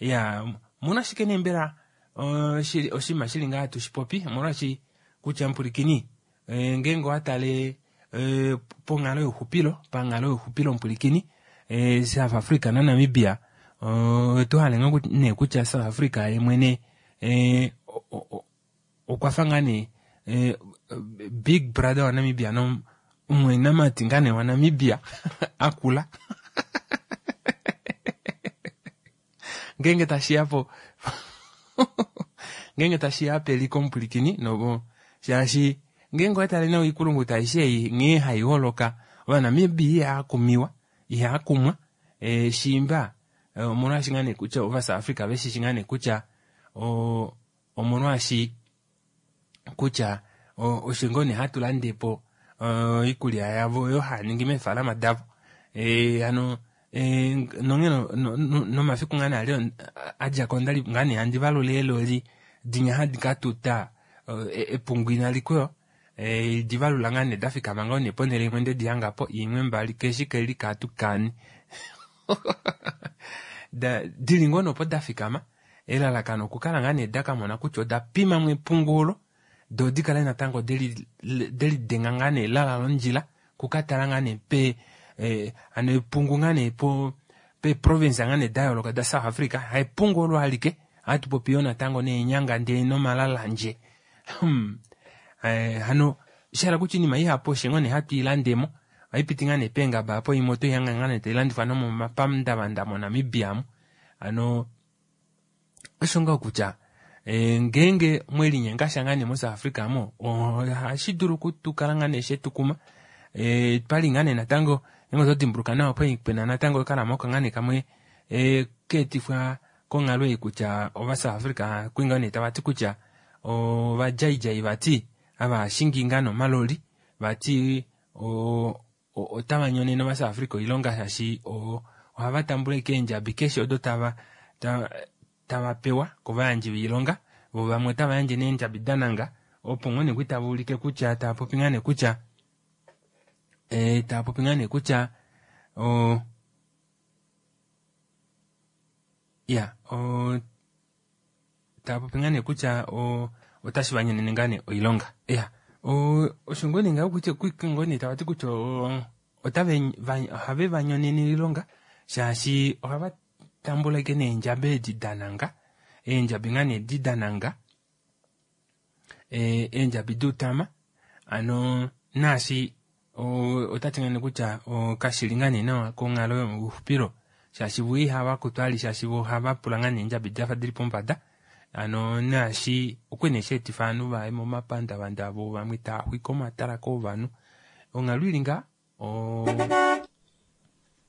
Ya, omolwashike nee mbela oshinima shili ngaha hatu shi popi? Omolwashi kutya mupulikini, ngeenge owa tale ponghalo youxupilo, panghalo youxupilo mupulikini, South Africa naNamibia, oto hale ngoo nee kutya South Africa ye mwene okwa fa ngaa nee big brother waNamibia nomumwainamati ngaa nee waNamibia akula. Ngeenge tashi ya po ngeenge tashi ya peliko mupulikini, novo shaashi ngeenge owa tale nawa oikulungu aishe ei nghee hai holoka, Ovanamibia ihava kumiwa, ihava kumwa, shimba omolwaashi ngaa nee kutya ovaSouth Africa veshishi ngaa nee kutya omolwaashi kutya osho ngoo nee hatu lande po oikulya yavo oyo haya ningi meefalama davo. Hano nonghee nomafiku ngaa nee ali a dja ko ondali ngaa nee handi valula eeloli dinya hadi ka tuta epungu inali kwewa, di valula ngaa nee da fikama ngoo nee ponhele imwe nde di hanga po imwe mbali keshi keli katu kani dili ngoo nopo da fikama, elalakano okukala ngaa nee da kamona kutya oda pima mo epungu olo, do di kale natango delidenga ngaa nee lala londjila kukatala ngaa nee pe hano epungu ngaa nee po pe province ngaa nee da yooloka da South Africa, haepungu olo alike, ohatu popi yo natango neenyanga ndee nomalalanje. Hano shahala kutya oinima ihapu osho ngoo nee hatu i landemo, ohaipiti ngaa nee peengaba apo imwe oto ihanga ngaa nee tailandifwa nomomapandavanda moNamibia mu. Hano osho ngaho kutya ngeenge mwelinyenga sha ngaa nee moSouth Africa mo, ohashi dulu okutukala ngaa nee shetukuma. Twali ngaa nee natango ngeenge oto dimbuluka nawa pwali pena natango okalamauka ngaa nee kamwe keetifwa konghalo ei kutya ovaSouth Africa kwali ngaa nee tava ti kutya ovadjaidjai vati ava shingi ngaa nomaloli vati otava nyonene ovaSouth Africa oilonga shaashi ohava tambula ashike eendjabi keshe odo tava pewa kovayandji voilonga, vo vamwe otava yandje neendjabi dananga, opo ngoo nee kwi tava ulike kutya tava popi ngaa nee kutya tava popi ngaa nee kutya ya tava popi ngaa nee kutya otashi va nyonene ngaa nee oilonga. Ya, osho ngoo nee ngaho kutya ngoo nee tava ti kutya ohave va nyonene oilonga shaashi ohava tambula ashike neendjabi edi dananga, eendjabi ngaa nee edi dananga, eendjabi duutama, hano naashi otati ngaa nee kutya kashili ngaa nee nawa konghalo youxupilo shaashi vo ihava kutwa ali shaashi vo ohava pula ngaa nee eendjabi dafa dili pombada, hano naashi okwali nee sheetifa ovanhu vaye momapandavanda vo vamwe tava xwike omatala kovanhu, onghalo ili ngaa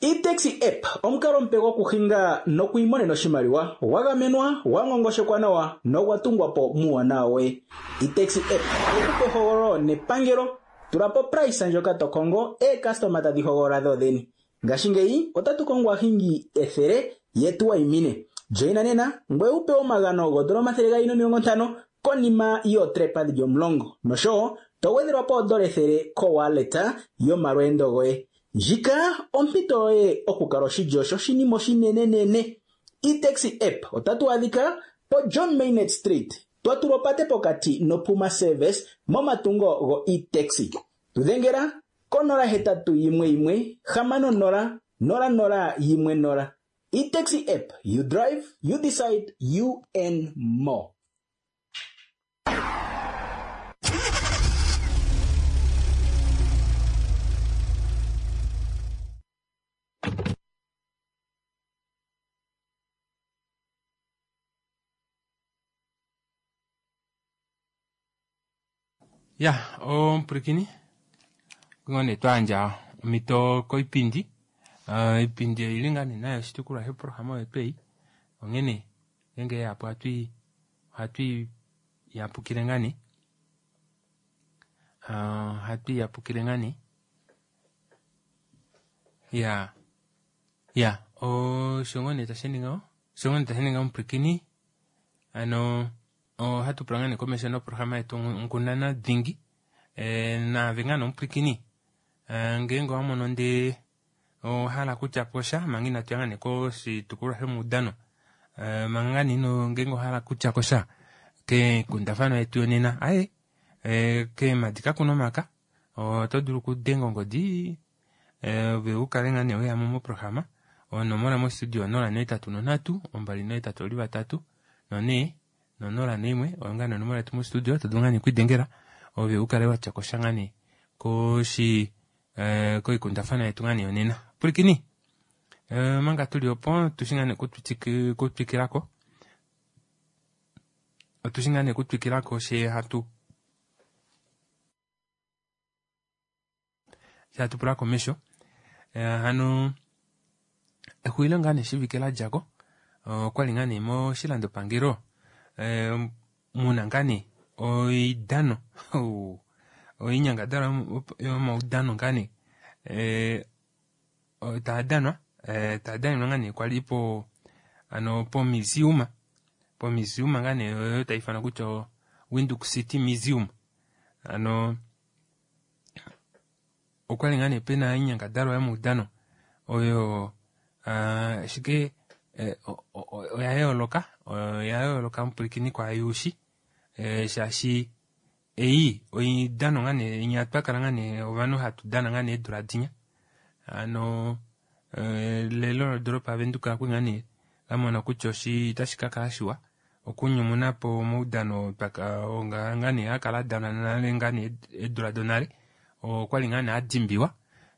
E-taxi app omukalo omupe gokuhinga nokwiimonena oshimaliwa gwa gamenwa, gwa ngongoshekwa nawa nogwa tungwa po muuwanawa woye. E-taxi app oku pe ehogololo nepangelo, tula po price ndjoka to kongo, eekastoma tadhi hogolola dho dhene. Ngashingeyi otatu kongo aahingi 100 yetu wayimine. Joina nena ngoye wu pewe omagano goodola 250 konima yootrepa dhili omulongo noshowo to gwedhelwa po oodola 100 kowallet yomalweendo goye. Ndjika ompito yoye okukala oshilyo shoshinima oshinenenene. E-Taxi app otatu adhika poJohn Maynard Street, twa tulwa opate pokati noPuma Service momatungo go-E-Taxi. Tu dhengela ko 081 60 00 10. E-Taxi app, you drive, you decide, you earn more. Ya omupwilikini ngoo nee twayandja omhito koipindi uh, oipindi oili ngaa nee nayo oshitukulwa shoprograma oyo twei onghene ngeenge yapo ohatu ohatu yapukile ngaa nee uh, ohatu yapukile ngaa nee ya ya osho ngoo nee tashi ningaho osho ngoo nee tashi ninga omupwilikini hano ohatu pula ngaa nee komesho noprograma yetu Nkundana Dhingi e, naave ngaa nee omupwilikini e, ngeenge owa mono ndee owahala kutya po sha manga inatu ya ngaa nee koshitukulwa shomaudano e, manga ngaa nee ino ngeenge owahala kutya ko sha keenghundafana yetu yonena aye e, keemadi kakuna omaka oto dulu okudenga ongodi ove u kale ngaa nee weyamo moprograma onomola mostudio 083 283 4 no01 oyo ngaa nee onomola yetu mostudio to dulu ngaa nee okwidengela ove u kale watya kosha ngaa nee koshi eh, koikundafana yetu ngaa nee yonena pwilikini eh, manga tuli opo tushi ngaa nee kutwikilako otushi ngaa nee kutwikilako she hatu she hatu pula komesho eh, hano exulilo ngaa nee shivike la djako okwali ngaa nee moshilandopangelo eh, muna ngaa nee oidano oinyangadalwa yomaudano ngaa nee eh, taa danwa taa danenwa ngaa nee kwali po ano pomuseum pomuseum ngaa nee oyo tai ifanwa kutya Windhoek City Museum ano okwali ngaa nee pena oinyangadalwa yomaudano oyo ashike oya yooloka oya yooloka mupwilikini kwaayuushi shaashi ei oidano ngaa nee inya twakala ngaa nee ovanhu hatu dana ngaa nee eedula dinya hano elelo lodoropa yaVenduka okwali ngaa nee lamona kutya otashi kakala shiwa okunyumuna po omaudano ngaa nee akala adanwa nale ngaa nee eedula donale okwali ngaa nee adimbiwa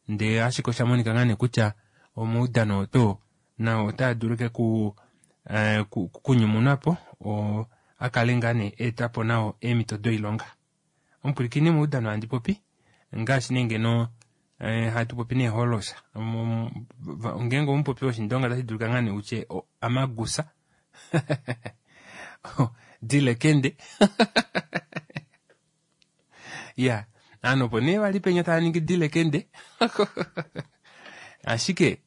ndee ashike osha monika ngaa nee kutya omaudano oto nao otaa dulu ke ku kunyumunwa po akale ngaa nee eetapo nao eemhito doilonga omupwilikini moudano handi popi ngaashi nee ngeno hatu popi neeholosa ngeenge omupopi woshindonga otashi dulika ngaa nee utye amagusa dilekende ya ovanhu opo nee vali penya tava ningi dilekende ashike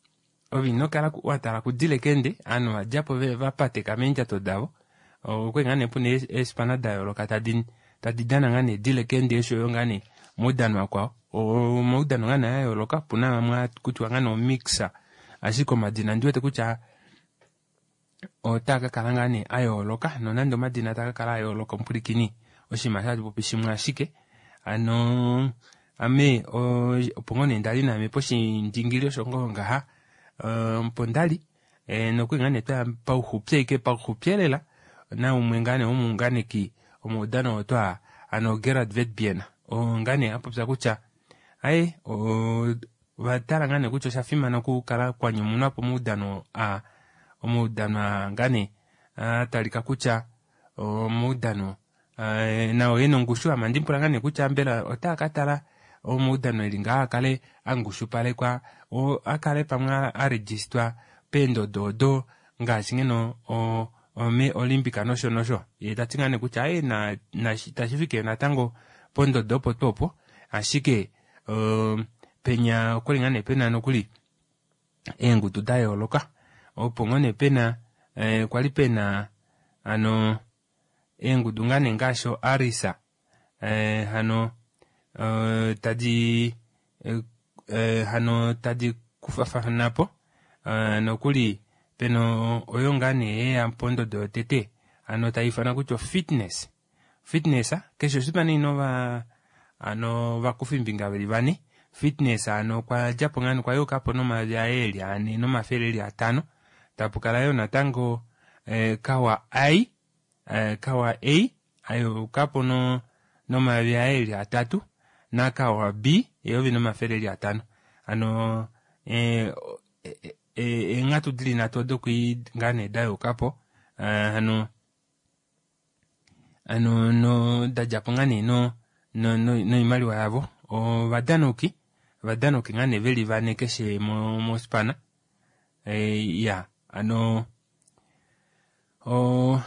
ove ino kala wa tala kudilekende ovanhu va djapo va pateka meendjato davo okwali ngaa nee puna eespana da yooloka tadi tadi dana ngaa nee dilekende oshoyo ngaa nee omaudano akwao omaudano ngaa nee a yooloka opuna amwe akutiwa ngaa nee omixer ashike omadina ondiwete kutya otaa kakala ngaa nee a yooloka nonande omadina taa kakala a yooloka omupwilikini oshinima sha popi shimwe ashike hano ame opo ngoo nee ndali naame poshindingili osho ngoo ngaha opo ndali nokuli ngaa nee twaya pauxupi ashike pauxupi elela naumwe ngaa nee womuunganeki womaudano oo twaa hano Gerard Vetbien oo ngaa nee apopya kutya aye ovatala ngaa nee kutya osha fimana okukala kwanyumunwa po omaudano aa omaudano aa ngaa nee atalika kutya omaudano nao ena ongushu ame andipula ngaa nee kutya mbela otaa katala omaudano eli ngaa akale angushupalekwa akale pamwe aregistwa peendodo odo ngaashi ngeno ome Olympic nosho nosho ye tati ngaa nee kutya aye tashifike natango pondodo opo tuu opo ashike penya okwali ngaa nee pena nokuli eengudu da yooloka opo ngoo nee pena Eh, kwali pena ano eengudu ngaa nee ngaashi oArisa eh, hano eh, tadi eh, eh, hano tadi kufafana po eh, nokuli pena oyo ngaa nee yeya pondodo yotete hano tai ifanwa kutya ofitness fitness keshe oshipana ina ova hano ovakufimbinga veli vane fitness hano okwa djapo ngaa nee okwa yukapo nomayovi aye eli ane nomafele eli atano tapukala yoo natango eh, kawa i eh, kawa a ayukapo no nomayovi aye eli atatu nakawa b eyovi nomafele eli atano hano eh, eh, eenghatu dili nhatu odo kwii ngaa nee dayukapo eh, hano hano no dadjapo ngaa nee no no noimaliwa yavo ovadanauki ovadanauki ngaa nee veli vane keshe mo mospana eh, ya hano o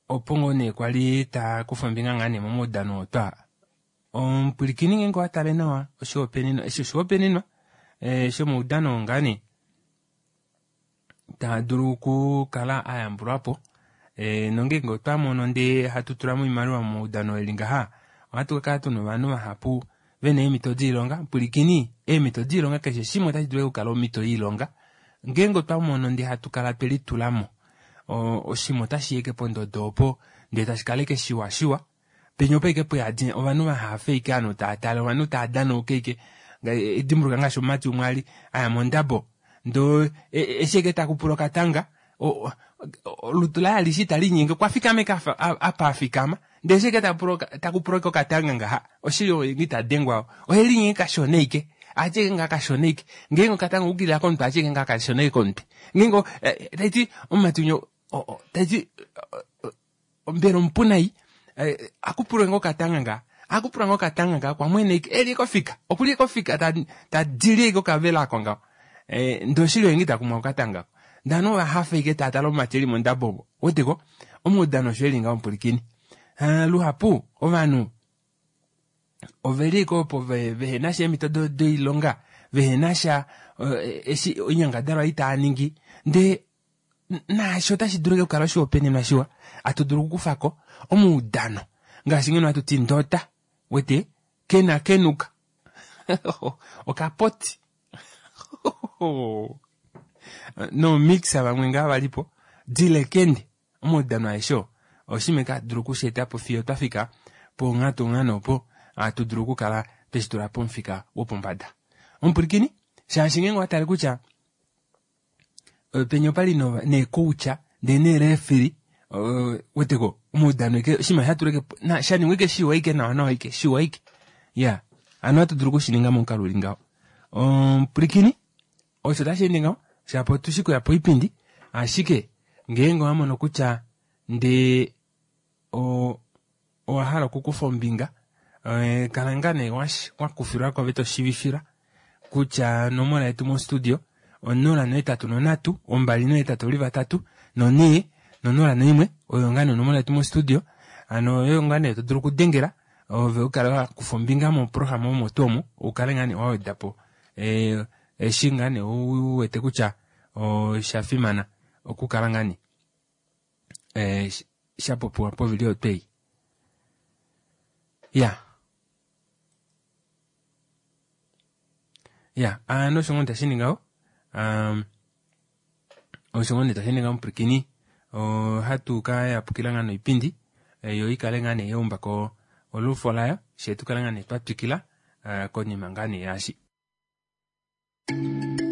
opo ngoo nee kwali ta kufa ombinga ngaa nee momaudano otwa omupwilikini ngeenge owa tale nawa oshihopaenenwa eshi oshihopaenenwa eh, shomaudano ngaa nee taa dulu okukala a yambulwa po e, nongeenge otwa mono ndee hatu tula mo oimaliwa momaudano eli ngaha ohatu ka kala tuna ovanhu vahapu vena eemhito doilonga pwilikini eemhito doilonga keshe shimwe otashi dulu okukala omhito yoilonga ngeenge otwa mono ndee hatu kala twe litulamo oshinima otashi yeke pondodo opo ndee tashi kala eke shiwa shiwa penya opa ike puyadi ovanhu vahafe ike ovanhu tava tale ovanhu tava danauka ike dimbuluka ngaashi omumati umwe ali aya mondabo ndoo eshi eke takupula okatanga olutu laye alishe itali linyenge okwa fikama eke apa afikama ndee eshi eke takupula ike okatanga ngaha oshili oye ita dengwa ohe linyenge kashona ike atye ike ngaa kashona ike ngeenge okatanga okukilila komutwe atye ike ngaa kashona ike komutwe ngeenge taiti omumati unye taiti mbela omupu nai eh, akupulwe ngoo okatanga nga akupulwa ngoo okatanga nga kwa mwene ike eli kofika okuli kofika ta ta dili ike okavela ako ngaho eh, ndee oshili oyengi takumwa okatanga ako ndee ovanhu ovahafa ike tava tala omumati eli mondabo omo weteko omaudano osho eli ngaho omupulikini eh, luhapu ovanhu oveli ike opo vehena sha eemhito doilonga vehena sha eh, eshi oinyangadalwa itaa ningi ndee naasho otashi dulu okukala oshihopaenenwa shiwa atu dulu okukufa ko omaudano ngaashi ngeno hatu ti ndota wete kena kenuka okapoti nomixa vamwe ngaa valipo dilekende omaudano aeshe oo oshinima eke hatu dulu okusheeta po fiyo twa fika ponghatu nghano opo hatu dulu okukala tweshi tula pomufika wopombada omupwilikini shaashi ngeenge owa tale kutya penya opali neekoucha ndee neerefiri weteko omaudano ike oshinima shatulwa ike shaningwa ike shiwa ike nawa nawa ike shiwa ike ya ano ohatu dulu okushininga momukalo uli ngaho omupwilikini osho tashi ende ngaho shapo otushi kuya poipindi ashike ngeenge owa mono kutya ndee owa hala okukufa ombinga eh, kala ngaa nee wakufilwa ko to shivifila kutya onomola yetu mostudio 083 283 4 no01 oyo ngaa nee onomola yetu mostudio ano oyo ngaa nee to dulu okudengela ove ukale wakufa ombinga moprograma omo tuu omo ukale ngaa nee waweda po eh, eshi ngaa nee uwete kutya osha fimana okukala ngaa nee eh, sha popiwa povili oyo twei ya ya ano osho ngoo tashi ningaho um, osho ngoo nee tashi ninga omupwilikini ohatu ka yapukila ngaa noipindi eh, yo ikale ngaa nee yaumba ko olufo layo shee tukale ngaa nee twa twikila eh, konima ngaa nee yaashi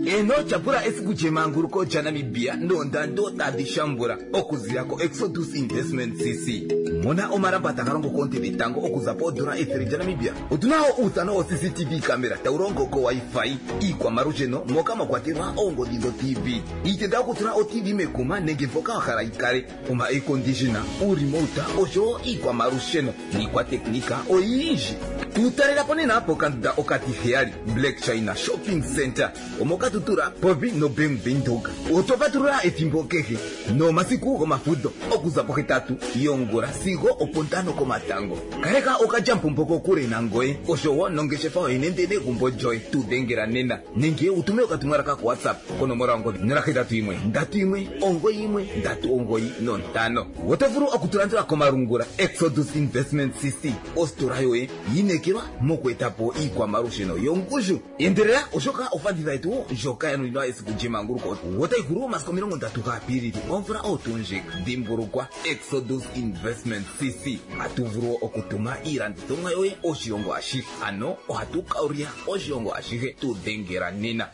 Eeno, tyapula esiku lyemanguluko lyaNamibia noondando tadhi shambula okuzila koExodus Investment CC. Mona omalamba taga longo koonte dhetango okuza poodola ethele lyaNamibia. Otu na wo uuthano wo-CCTV camera tawu longo ko-Wi-Fi, iikwamalusheno moka mwa kwatelwa oongodhi dho-TV, iitenda yokutula o-TV mekuma nenge mpoka wa hala yi kale, oma-air-conditioner, uurimouta oshowo iikwamalusheno niikwateknika oyindji. Tu talela po nena pokandunda okatiheyali Black China Shopping Center omoKatutura povi noBank Windhoek. Otwa patulula ethimbo kehe nomasiku gomafudho okuza pohetatu yongula sigo opontano komatango. Kaleka okalyamupombo kokule nangoye oshowo nongeshefa yoye nende negumbo lyoye. Tu dhengela nena nenge wu tume okatumwalaka koWhatsApp konomola yongodhi 081 31 91 395. Oto vulu okutulandula komalungula Exodus Investment CC, ositola yoye yi inekelwa moku eta po iikwamalusheno yongushu. Endelela oshoka ofanditha yetu ndjoka ya nuninwa esiku lyemanguluko otayi hulu momasiku 30 gaApilili omvula oyo tuu ndjika. Dhimbulukwa, Exodus Investment CC, ohatu vulu okutuma iilandithomwa yoye oshilongo ashihe, ano ohatu kaulya oshilongo ashihe. Tu dhengela nena.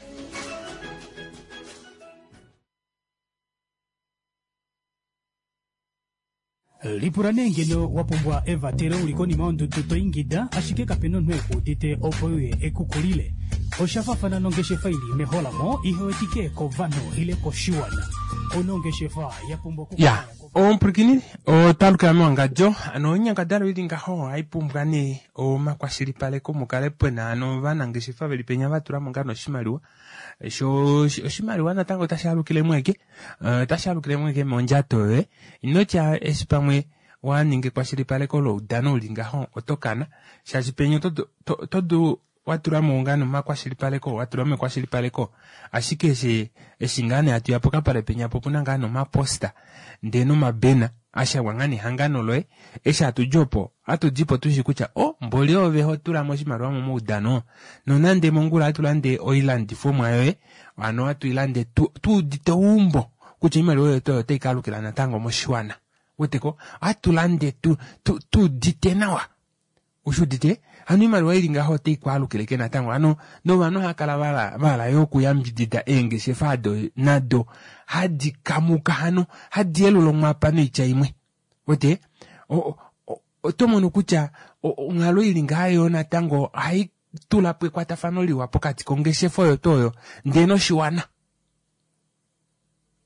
Lipula nee ngeno wa pumbwa evatelo uli konima yondudu to ingida ashike kapena omunhu eku udite opo euye eku kulile. Osha fafana nongeshefa ili meholamo ihe wetike kovanhu ile koshiwana. Ouna ongeshefa ya pumbwa okukala Ya, omupwilikini otwa lukila mewangadjo ano oinyangadalwa ili ngaho ohai pumbwa nee omakwashilipaleko mukale pena ano ovanangeshefa veli penya vatulamo ngaa noshimaliwa sho oshimaliwa natango otashi alukile mweke eh, otashi alukile mweke mondjato yoye inotya eshi pamwe wa ninga ekwashilipaleko loudano uli ngaho oto kana shaashi penya oto dulu wa tula mo ngaa nomakwashilipaleko wa tula mo ekwashilipaleko ashike eshi eshi ngaa nee hatu ya pokapale penya po opuna ngaa nomaposta ndee nomabena ashangwa ngaa nehangano loye eshi hatu di opo hatu di po tushi kutya o oh, mboli ove ho tula mo oshimaliwa momaudano nonande mongula hatu lande oilandifomwa yoye ano hatu i lande tu udite ouumbo kutya oimaliwa yoye oyo otai ka alukila natango moshiwana weteko ohatu lande tu tu udite nawa Ushi udite? Hano oimaliwa ili ngaho otai kwaalukile ke natango. Hano novanhu ohava kala va hala yo okuyambidida eengeshefa ado nado hadi kamuka hano hadi yelula omwapa noitya imwe. Wete? Oto mono kutya onghalo ili ngaha yo natango ohai tula po ekwatafano liwa pokati kongeshefa oyo tuu oyo ndee noshiwana.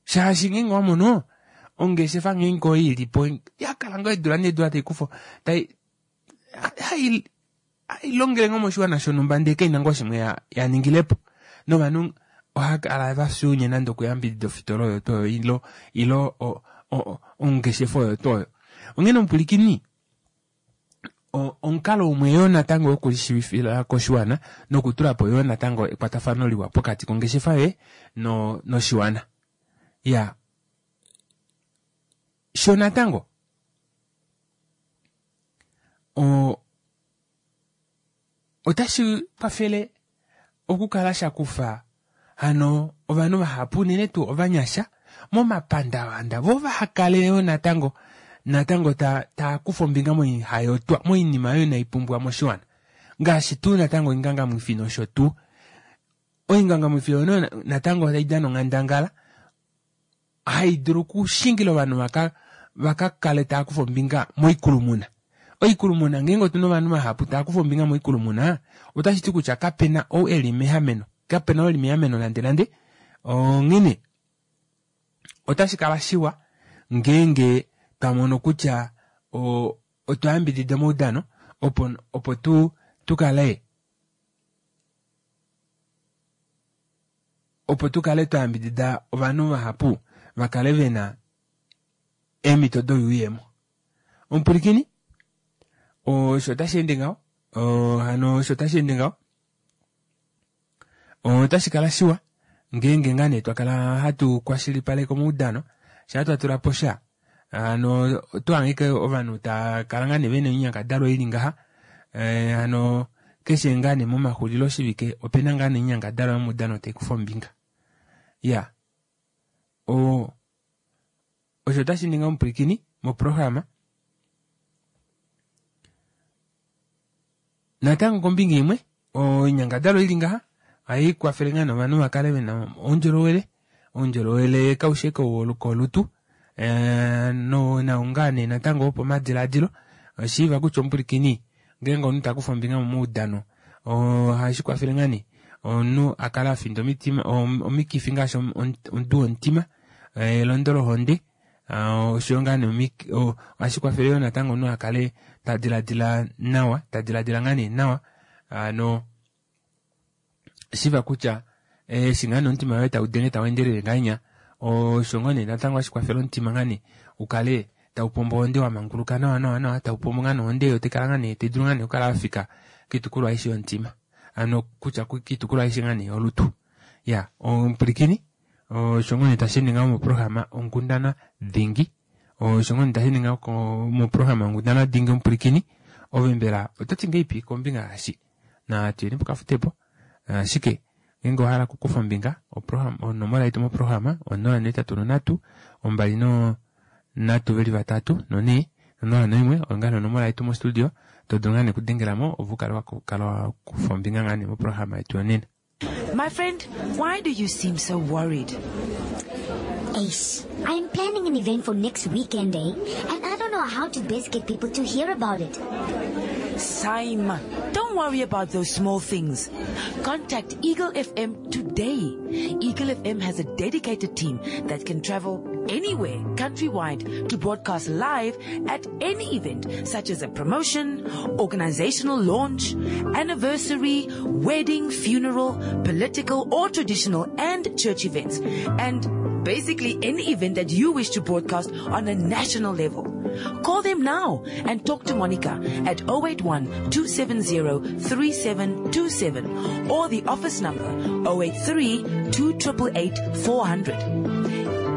Shaashi ngeenge owa mono ongeshefa ngeenge oyo ili po ya kala ngoo eedula needula tai kufa tai hai longele ngoo moshiwana shonhumba ndee kaina ngoo shimwe ya ningile po novanhu ohava kala va fyuunye nande okuyambidida ofitola oyo tuu oyo ilo ilo ongeshefa oyo tuu oyo onghene omupwilikini omukalo umwe yoo natango wokulishiivifila koshiwana nokutula po yoo natango ekwatafano liwa pokati kongeshefa yoye no noshiwana ya sho natango otashi kwafele okukala sha kufa hano ovanhu vahapu unene tuu ovanyasha momapandavanda vo vaha kale yo natango natango ta taa kufa ombinga moihayotwa moinima oyo inai pumbiwa moshiwana ngaashi tuu natango oingangamwifi nosho tuu oingangamwifi oyo natango otai dana onghandangala hai dulu okushingila ovanhu vaka vaka kale tava kufa ombinga moikulumuna. Oikulumuna ngeenge otuna ovanhu vahapu tava kufa ombinga moikulumuna otashi ti kutya kapena ou eli meameno, kapena ou eli meameno nande nande. Onghene otashi kala shiwa ngeenge twa mono kutya otwa yambidida omaudano opo opo tu tu kale opo tu kale twa yambidida ovanhu vahapu va kale ve na eemhito doyuuyemo. Omupwilikini, osho otashi ende ngaho, hano osho otashi ende ngaho. Otashi kala shiwa ngeenge ngaa nee twa kala hatu kwashilipaleke omaudano, shaa twa tula po sha, hano oto hangike ovanhu tava kala ngaa nee vena oinyangadalwa ili ngaha, hano keshe ngaa nee momaxulilo shivike opena ngaa nee oinyangadalwa yomaudano tai kufa ombinga. Ya, o osho otashi ningi omupwilikini moprograma. Natango kombinga imwe, oinyangadalwa ili ngaha ohai kwafele ngaa nee ovanhu va kale vena oundjolowele, oundjolowele kaushi ashike wokolutu eh, no nao ngaa nee natango wopomadilaadilo. Oshiiva kutya omupwilikini ngeenge omunhu ta kufa ombinga momaudano ohashi kwafele ngaa nee omunhu a kale a finda omitima omikifi ngaashi omudu womutima, elondo lohonde. Oshoyo ngaa nee ohashi kwafele yoo natango omunhu a kale ta diladila nawa, ta diladila ngaa nee nawa hano shiva kutya eshi ngaa nee omutima woye tau denge tau endelele ngahenya osho ngoo nee natango hashi kwafele omutima ngaa nee ukale tau pombo ohonde wa manguluka nawa nawa nawa, tau pombo ngaa nee ohonde yo taikala ngaa nee tai dulu ngaa nee okukala yafika koitukulwa aishe yomutima, hano kutya koitukulwa aishe ngaa nee yolutu. Ya omupwilikini osho ngoo nee tashi ende ngaho moprograma Onkundana Dhingi, osho ngoo nee tashi ende ngaho moprograma Onkundana Dhingi omupwilikini, ove mbela oto ti ngeipi kombinga yaashi? Natu yeni pokafutepo, ashike ngeenge owa hala okukufa ombinga onomola yetu moprograma 083 2 3 veli vatatu nonhee 0 1 oyo ngaa nee onomola yetu mostudio to dulu ngaa nee okudengela mo opo u kale wa kufa ombinga ngaa nee moprograma yetu yonena. My friend, why do you seem so worried? Ace, I'm planning an event for next weekend, eh? And I don't know how to best get people to hear about it. Saima, don't worry about those small things. Contact Eagle FM today. Eagle FM has a dedicated team that can travel anywhere countrywide to broadcast live at any event, such as a promotion, organizational launch, anniversary, wedding, funeral, political or traditional and church events, and basically any event that you wish to broadcast on a national level. Call them now and talk to Monica at 081 270 3727 or the office number 083 2888 400.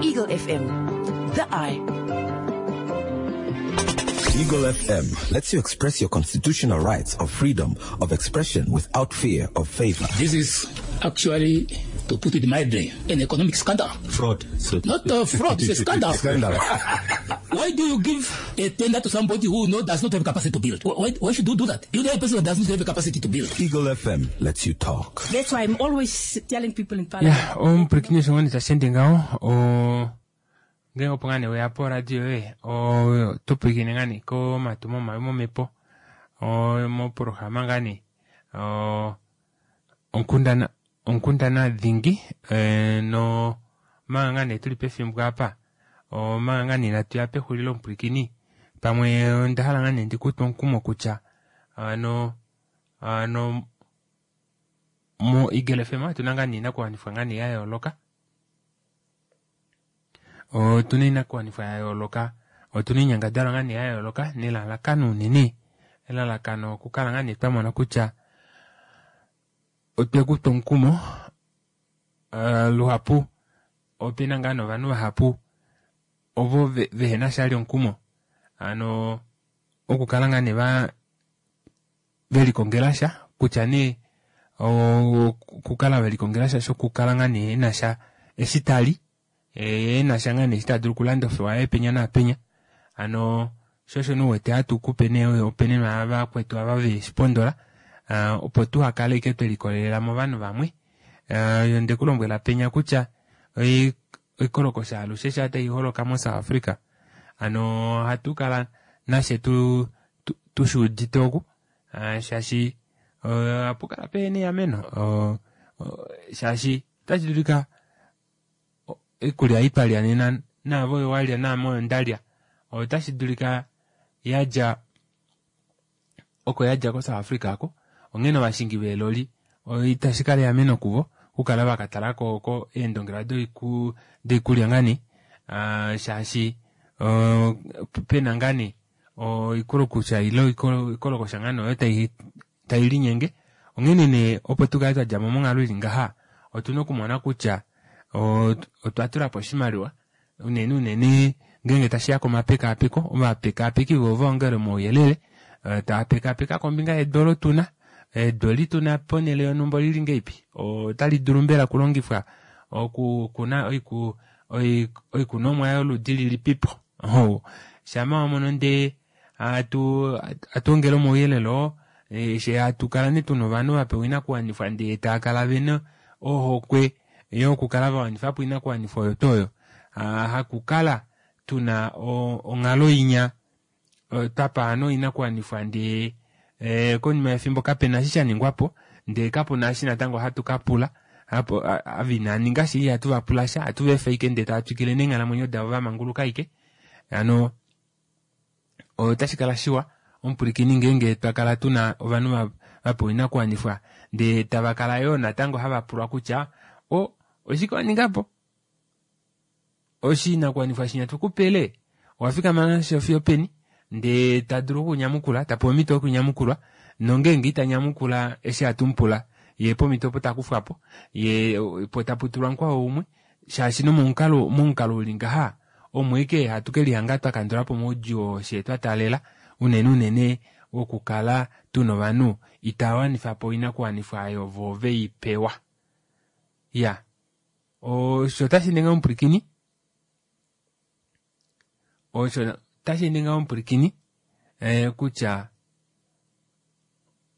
Eagle FM, the eye. Eagle FM lets you express your constitutional rights of freedom of expression without fear of favor. This is actually, to put it mildly, an economic scandal. Fraud. So Not a fraud, it's a scandal. Scandal. Why do you give a tender to somebody who does not have capacity to build? Why should you do that? You know a person that does not have the capacity to build. Eagle FM lets you talk. That's why I'm always telling people in parliament. Ya, omupwilikini osho ngoo nee tashi ende ngaho, o, ngeenge opo ngaa nee weya poradio yoye, oto pwilikine ngaa nee komatumo mai momhepo, mopolohalama ngaa nee, onkundana, onkundana dhingi, no manga ngaa nee tuli pefimbo apa, omanga ngaa nee inatu ya pexulilo omupwilikini, pamwe onda hala ngaa nee ndikutwe omukumo kutya, ano, ano, mo Eagle FM otuna ngaa nee inakuwanifwa ngaa nee ya yooloka. Otuna inakuwanifwa ya yooloka, otuna oinyangadalwa ngaa nee ya yooloka nelalakano unene, elalakano okukala ngaa nee twamona kutya otwe kutwa omukumo, luhapu opena ngaa novanhu vahapu ovo vehena shali omukumo, hano okukala ngaa nee velikongela sha kutya nee okukala velikongela sha shokukala ngaa nee ena sha eshi tali, ena sha ngaa nee eshi ta dulu okulanda ofewa yaye penya naapenya, hano sho osho nee uwete hatu kupe nee opene vakwetu ava veshipondola, opo tuhakale ashike twelikolelela movanhu vamwe. Onde ku lombwela penya kutya oikolokosha alushe sha tai holoka moSouth Africa, hano ohatu kala nashe tushuudite oku, shaashi ohapu kala pehena eameno, shaashi otashi dulika oikulya ei twalya nena naave oyo walya naame oyo ndalya, otashi dulika yadja oko yadja koSouth Africa ako, onghene ovashingi veeloli itashi kala eameno kuvo okukala vakatala ko eendongelwa doikulya ngaa nee, shaashi pena ngaa nee oikolokusha ile oikolokosha ngaa nee oyo tai linyenge. Onghene nee opo tukale twa dja mo monghalo ili ngaha, otuna okumona kutya otwa tula po oshimaliwa unene unene ngeenge tashiya komapekaapeko, ovapekaapeki vo vaongele omauyelele, tava pekaapeka kombinga yedu olo tuna, edu eli tuna ponhele yonhumba olili ngeipi, otali dulu mbela okulongifwa okukuna oikunomwa yoludi lilipipo. Shama wamono ndee hatu ongele omauyelele oo, she hatu kala nee tuna ovanhu vapewa oinakuwanifwa ndee tava kala vena ohokwe yokukala vawanifa po oinakuwanifwa oyo tuu oyo, hakukala tuna onghalo inya twapa ovanhu oinakuwanifwa ndee konima yefimbo kapena eshi sha ningwapo, ndee kapuna eshi natango hatu ka pula, ava inaninga sha ihatu va pula sha, ohatu va efa ashike ndee tava twikile neenghalamwenyo davo vamanguluka ashike. Hano otashi kala shiwa omupwilikini ngeenge twa kala tuna ovanhu va pewa oinakuwanifwa ndee tava kala yoo natango hava pulwa kutya o oshike wa ninga po oshinakuwanifwa shinya tukupele owa fikama nasho fiyo peni ndee ta dulu okunyamukula ta pewa omhito yokunyamukulwa nongeenge ita nyamukula eshi hatu mu pula ye pomhito opo ta kufwa po ye po tapu tulwa mukwao umwe shaashi nomomukalo momukalo uli ngaha omo eke hatu ke lihanga twa kandula po omaudjuu oo shee twa taalela unene unene wokukala tuna ovanhu itava wanifa po oinakuwanifwa oyo vo ve i pewa. Ya osho tashi ningi omupwilikini osho tashi ningi omupwilikini eh, kutya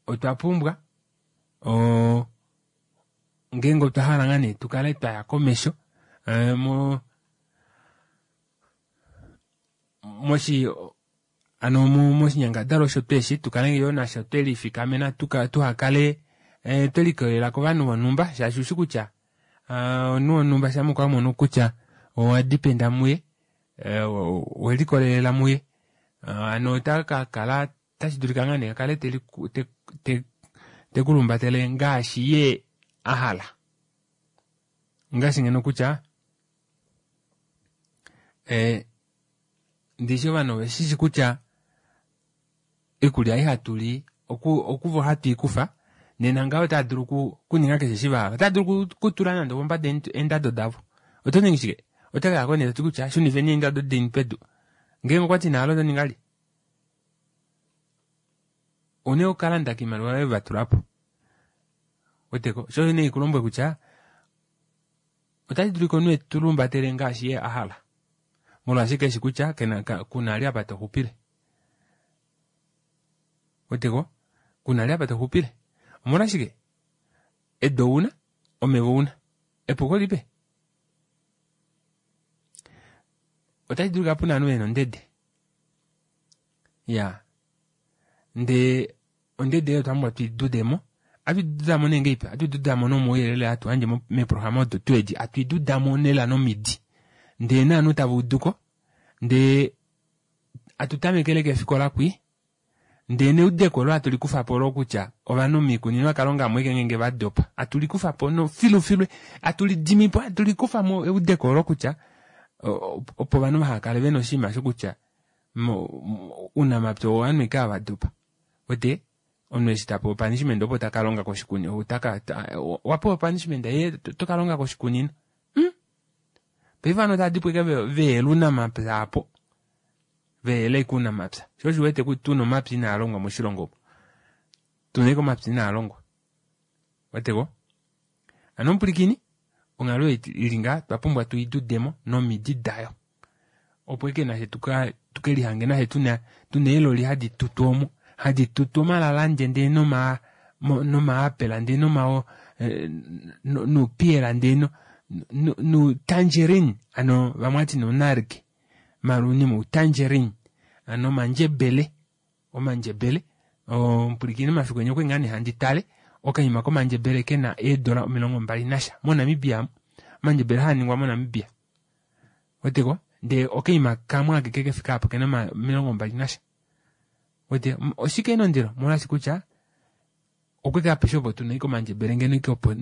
otwa pumbwa o ngeenge otwa hala ngaa nee tu kale twa ya komesho eh, mo moshi ano moshinyangadalwa osho tweshi tu kale yoo nasho twe lifikamena tuhakale eh, twe likolelela kovanhu vonhumba shaashi ushi kutya ah, omunhu wonhumba shampa okwa mono kutya owa dipenda muye eh, we likolelela muye ah, ano ota ka kala tashi dulika ngaa nee a kale te ku lumbatele ngaashi ye a hala ngaashi ngeno kutya eh, ndishi ovanhu ove shishi kutya oikulya ei hatu li okuvo hatu i kufa nena ngaho otava dulu okuninga keshe eshi va hala otava dulu okutula nande opombada eendado davo oto ningi shike oto kaya ko nee toti kutya shunifeni eendado deni pedu ngeenge okwa ti naalo oto ninga li une okalanda kiimaliwa yoye va tula po weteko sho nee ikulombwe kutya otashi dulika omunhu etu lumbatele ngaashi ye a hala molwaashi keshi kutya kena kuna ali apa to xupile weteko kuna ali apa to xupile omolwashike edu ouna omeva ouna epuko lipe otashi dulika puna ovanhu vena ondede ya ndee ondede oyo otwa pumbwa tui dudemo atu dudamo nee ngeipi atu dudamo nomauyelele hatu yandje meeprograma odo tuu edi atu dudamo lela nomidi ndee naanhu tava uduko ndee atu tamekele keefikola kwii ndee neudeko olo hatu likufa po olo kutya ovanhu miikunino yakalonga amu eke ngeenge va dopa atu likufa po no filufilu atu lidimi po atu likufa mo eudeko olo kutya opo ovanhu vaha kale vena oshinima shokutya uunamapya ovanhu eke ava dopa wete omunhu eshi ta pewa opunishment opo taka longa koshikunino otaka wa pewa opunishment ye toka longa koshikunino hmm? Paife ovanhu otava dipo eke veyela uunamapya apo veyela eke uunamapya sho osho wete kutya tuna omapya inaa longwa moshilongo omo tuna eke omapya inaa longwa weteko ano omupulikini onghalo ili ngaa twa pumbwa tu idudemo nomidi dayo opo eke nashe tuke lihange nashe tuna tuna eeloli hadi tutu omo hadi tutu omalalande ndee noma nomaapela ndee noma eh, nuupiyela ndee nutangerine ano vamwe ati nonarge malunima utangerine ano omandjebele omandjebele omupulikini omafiku enya okwe ngaa nee handi tale okaima komandjebele kena eedola 20 nasha moNamibia omandjebele haa ningwa moNamibia weteko ndee okaima kamwe akeke kefika apo kena 20 nasha wete oshike ena ondilo molwaashi kutya okwe ka apeshe opo tuna ike omandjebele ngeno ike opo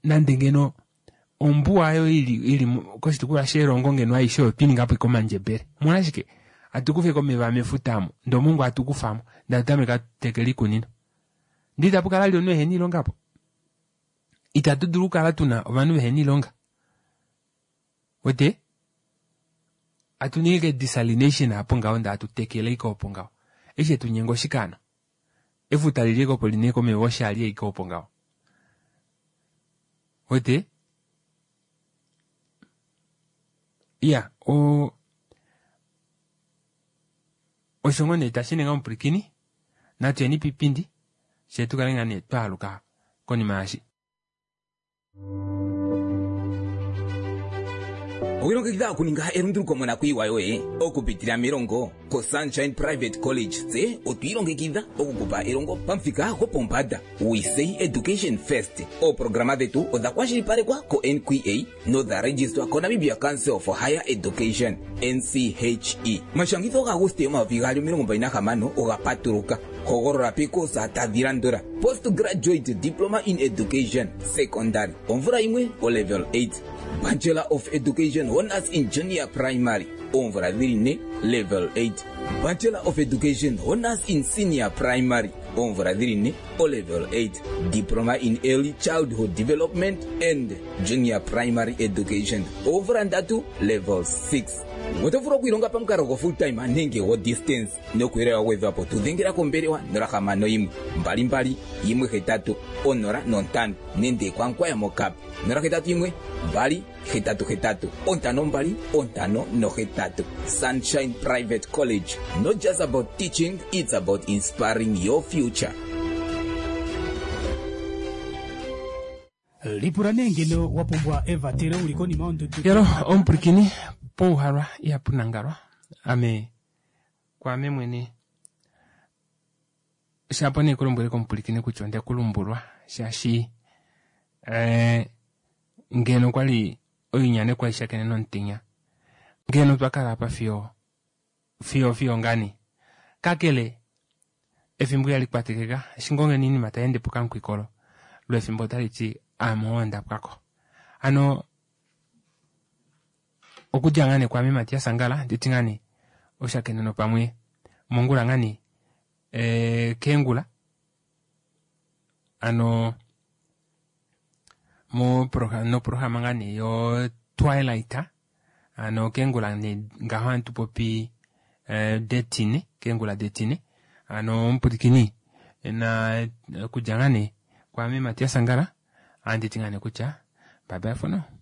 nande ngeno ombuwa oyo ili ili koshitukulwa sherongo ngeno aishe oyo twiningapo ike omandjebele omolwashike atu kufa ike omeva mefuta amo ndee omongwa atu kufamo ndee atu tameke atu tekele iikunino ndee itapu kala vali omunhu ehena oilonga apo itatu dulu okukala tuna ovanhu vehena oilonga wete atu ningi ike desalination apo ngaho ndee atu tekele ike opo ngaho eshi etunyenga oshike hano efuta lili ike opo lina ike omeva oshali ike opo ngaho wete iya o osho ngoo nee tashi ninga omupwilikini natu yeni piipindi fyee tukale ngaa nee twaaluka konima yaashi. Owilongekidha okuninga elunduluko monakuyiwa yoye okupitila melongo koSunshine Private College. Tse otwiilongekidha okukupa elongo pamuthika gwopombanda. We say education first. Ooprograma dhetu odha kwashilipalekwa ko-NQA nodha registwa koNamibia Council for Higher Education, NCHE. Omashangitho gaAguste 2026 oga patuluka. Hogolola peekoosa tadhi landula: Postgraduate Diploma in Education, Secondary, omvula yimwe, olevel 8. Bachelor of Education Honours in Junior Primary, oomvula dhili ne, level 8. Bachelor of Education Honours in Senior Primary, oomvula dhili ne, olevel 8. Diploma in Early Childhood Development and Junior Primary Education, oomvula ndatu, level 6. Oto vulu okwiilonga pamukalo go full time nenge go distance. Nokuuyelele wa gwedhwa po tu dhengela kombelewa 061 22 18 05 nenge kwaNkwaya moKap 081 2 88 52 58. Sunshine Private College, not just about teaching, it's about inspiring your future. Lipula nee ngeno wa pumbwa evatelo u li konima yondudu. Yalo omupwilikini pouhalwa ihapu nangalwa ame kwaame mwene shapo nee kulombwele komupwilikini kutya onde ku lumbulwa shaashi eh, ngeno kwali oinyane kwali shakene nomutenya ngeno twa kala apa fiyo fiyo fiyo ngani kakele efimbo ihali kwatekeka eshi ngoo ngeno oinima tai ende pokankwikolo lwefimbo otali ti aame oo nda pwako hano okudja ngaa nee kwaame Matias Angala nditi ngaa nee oshakeneno pamwe mongula ngaa nee eh, keengula ano mo noprograma ngaa nee yo Twilight ano keengula nee ngaho hatu popi eh, detine keengula detine ano omupwilikini na okudja ngaa nee kwaame Matias Angala anditi ngaa nee kutya bye bye for now.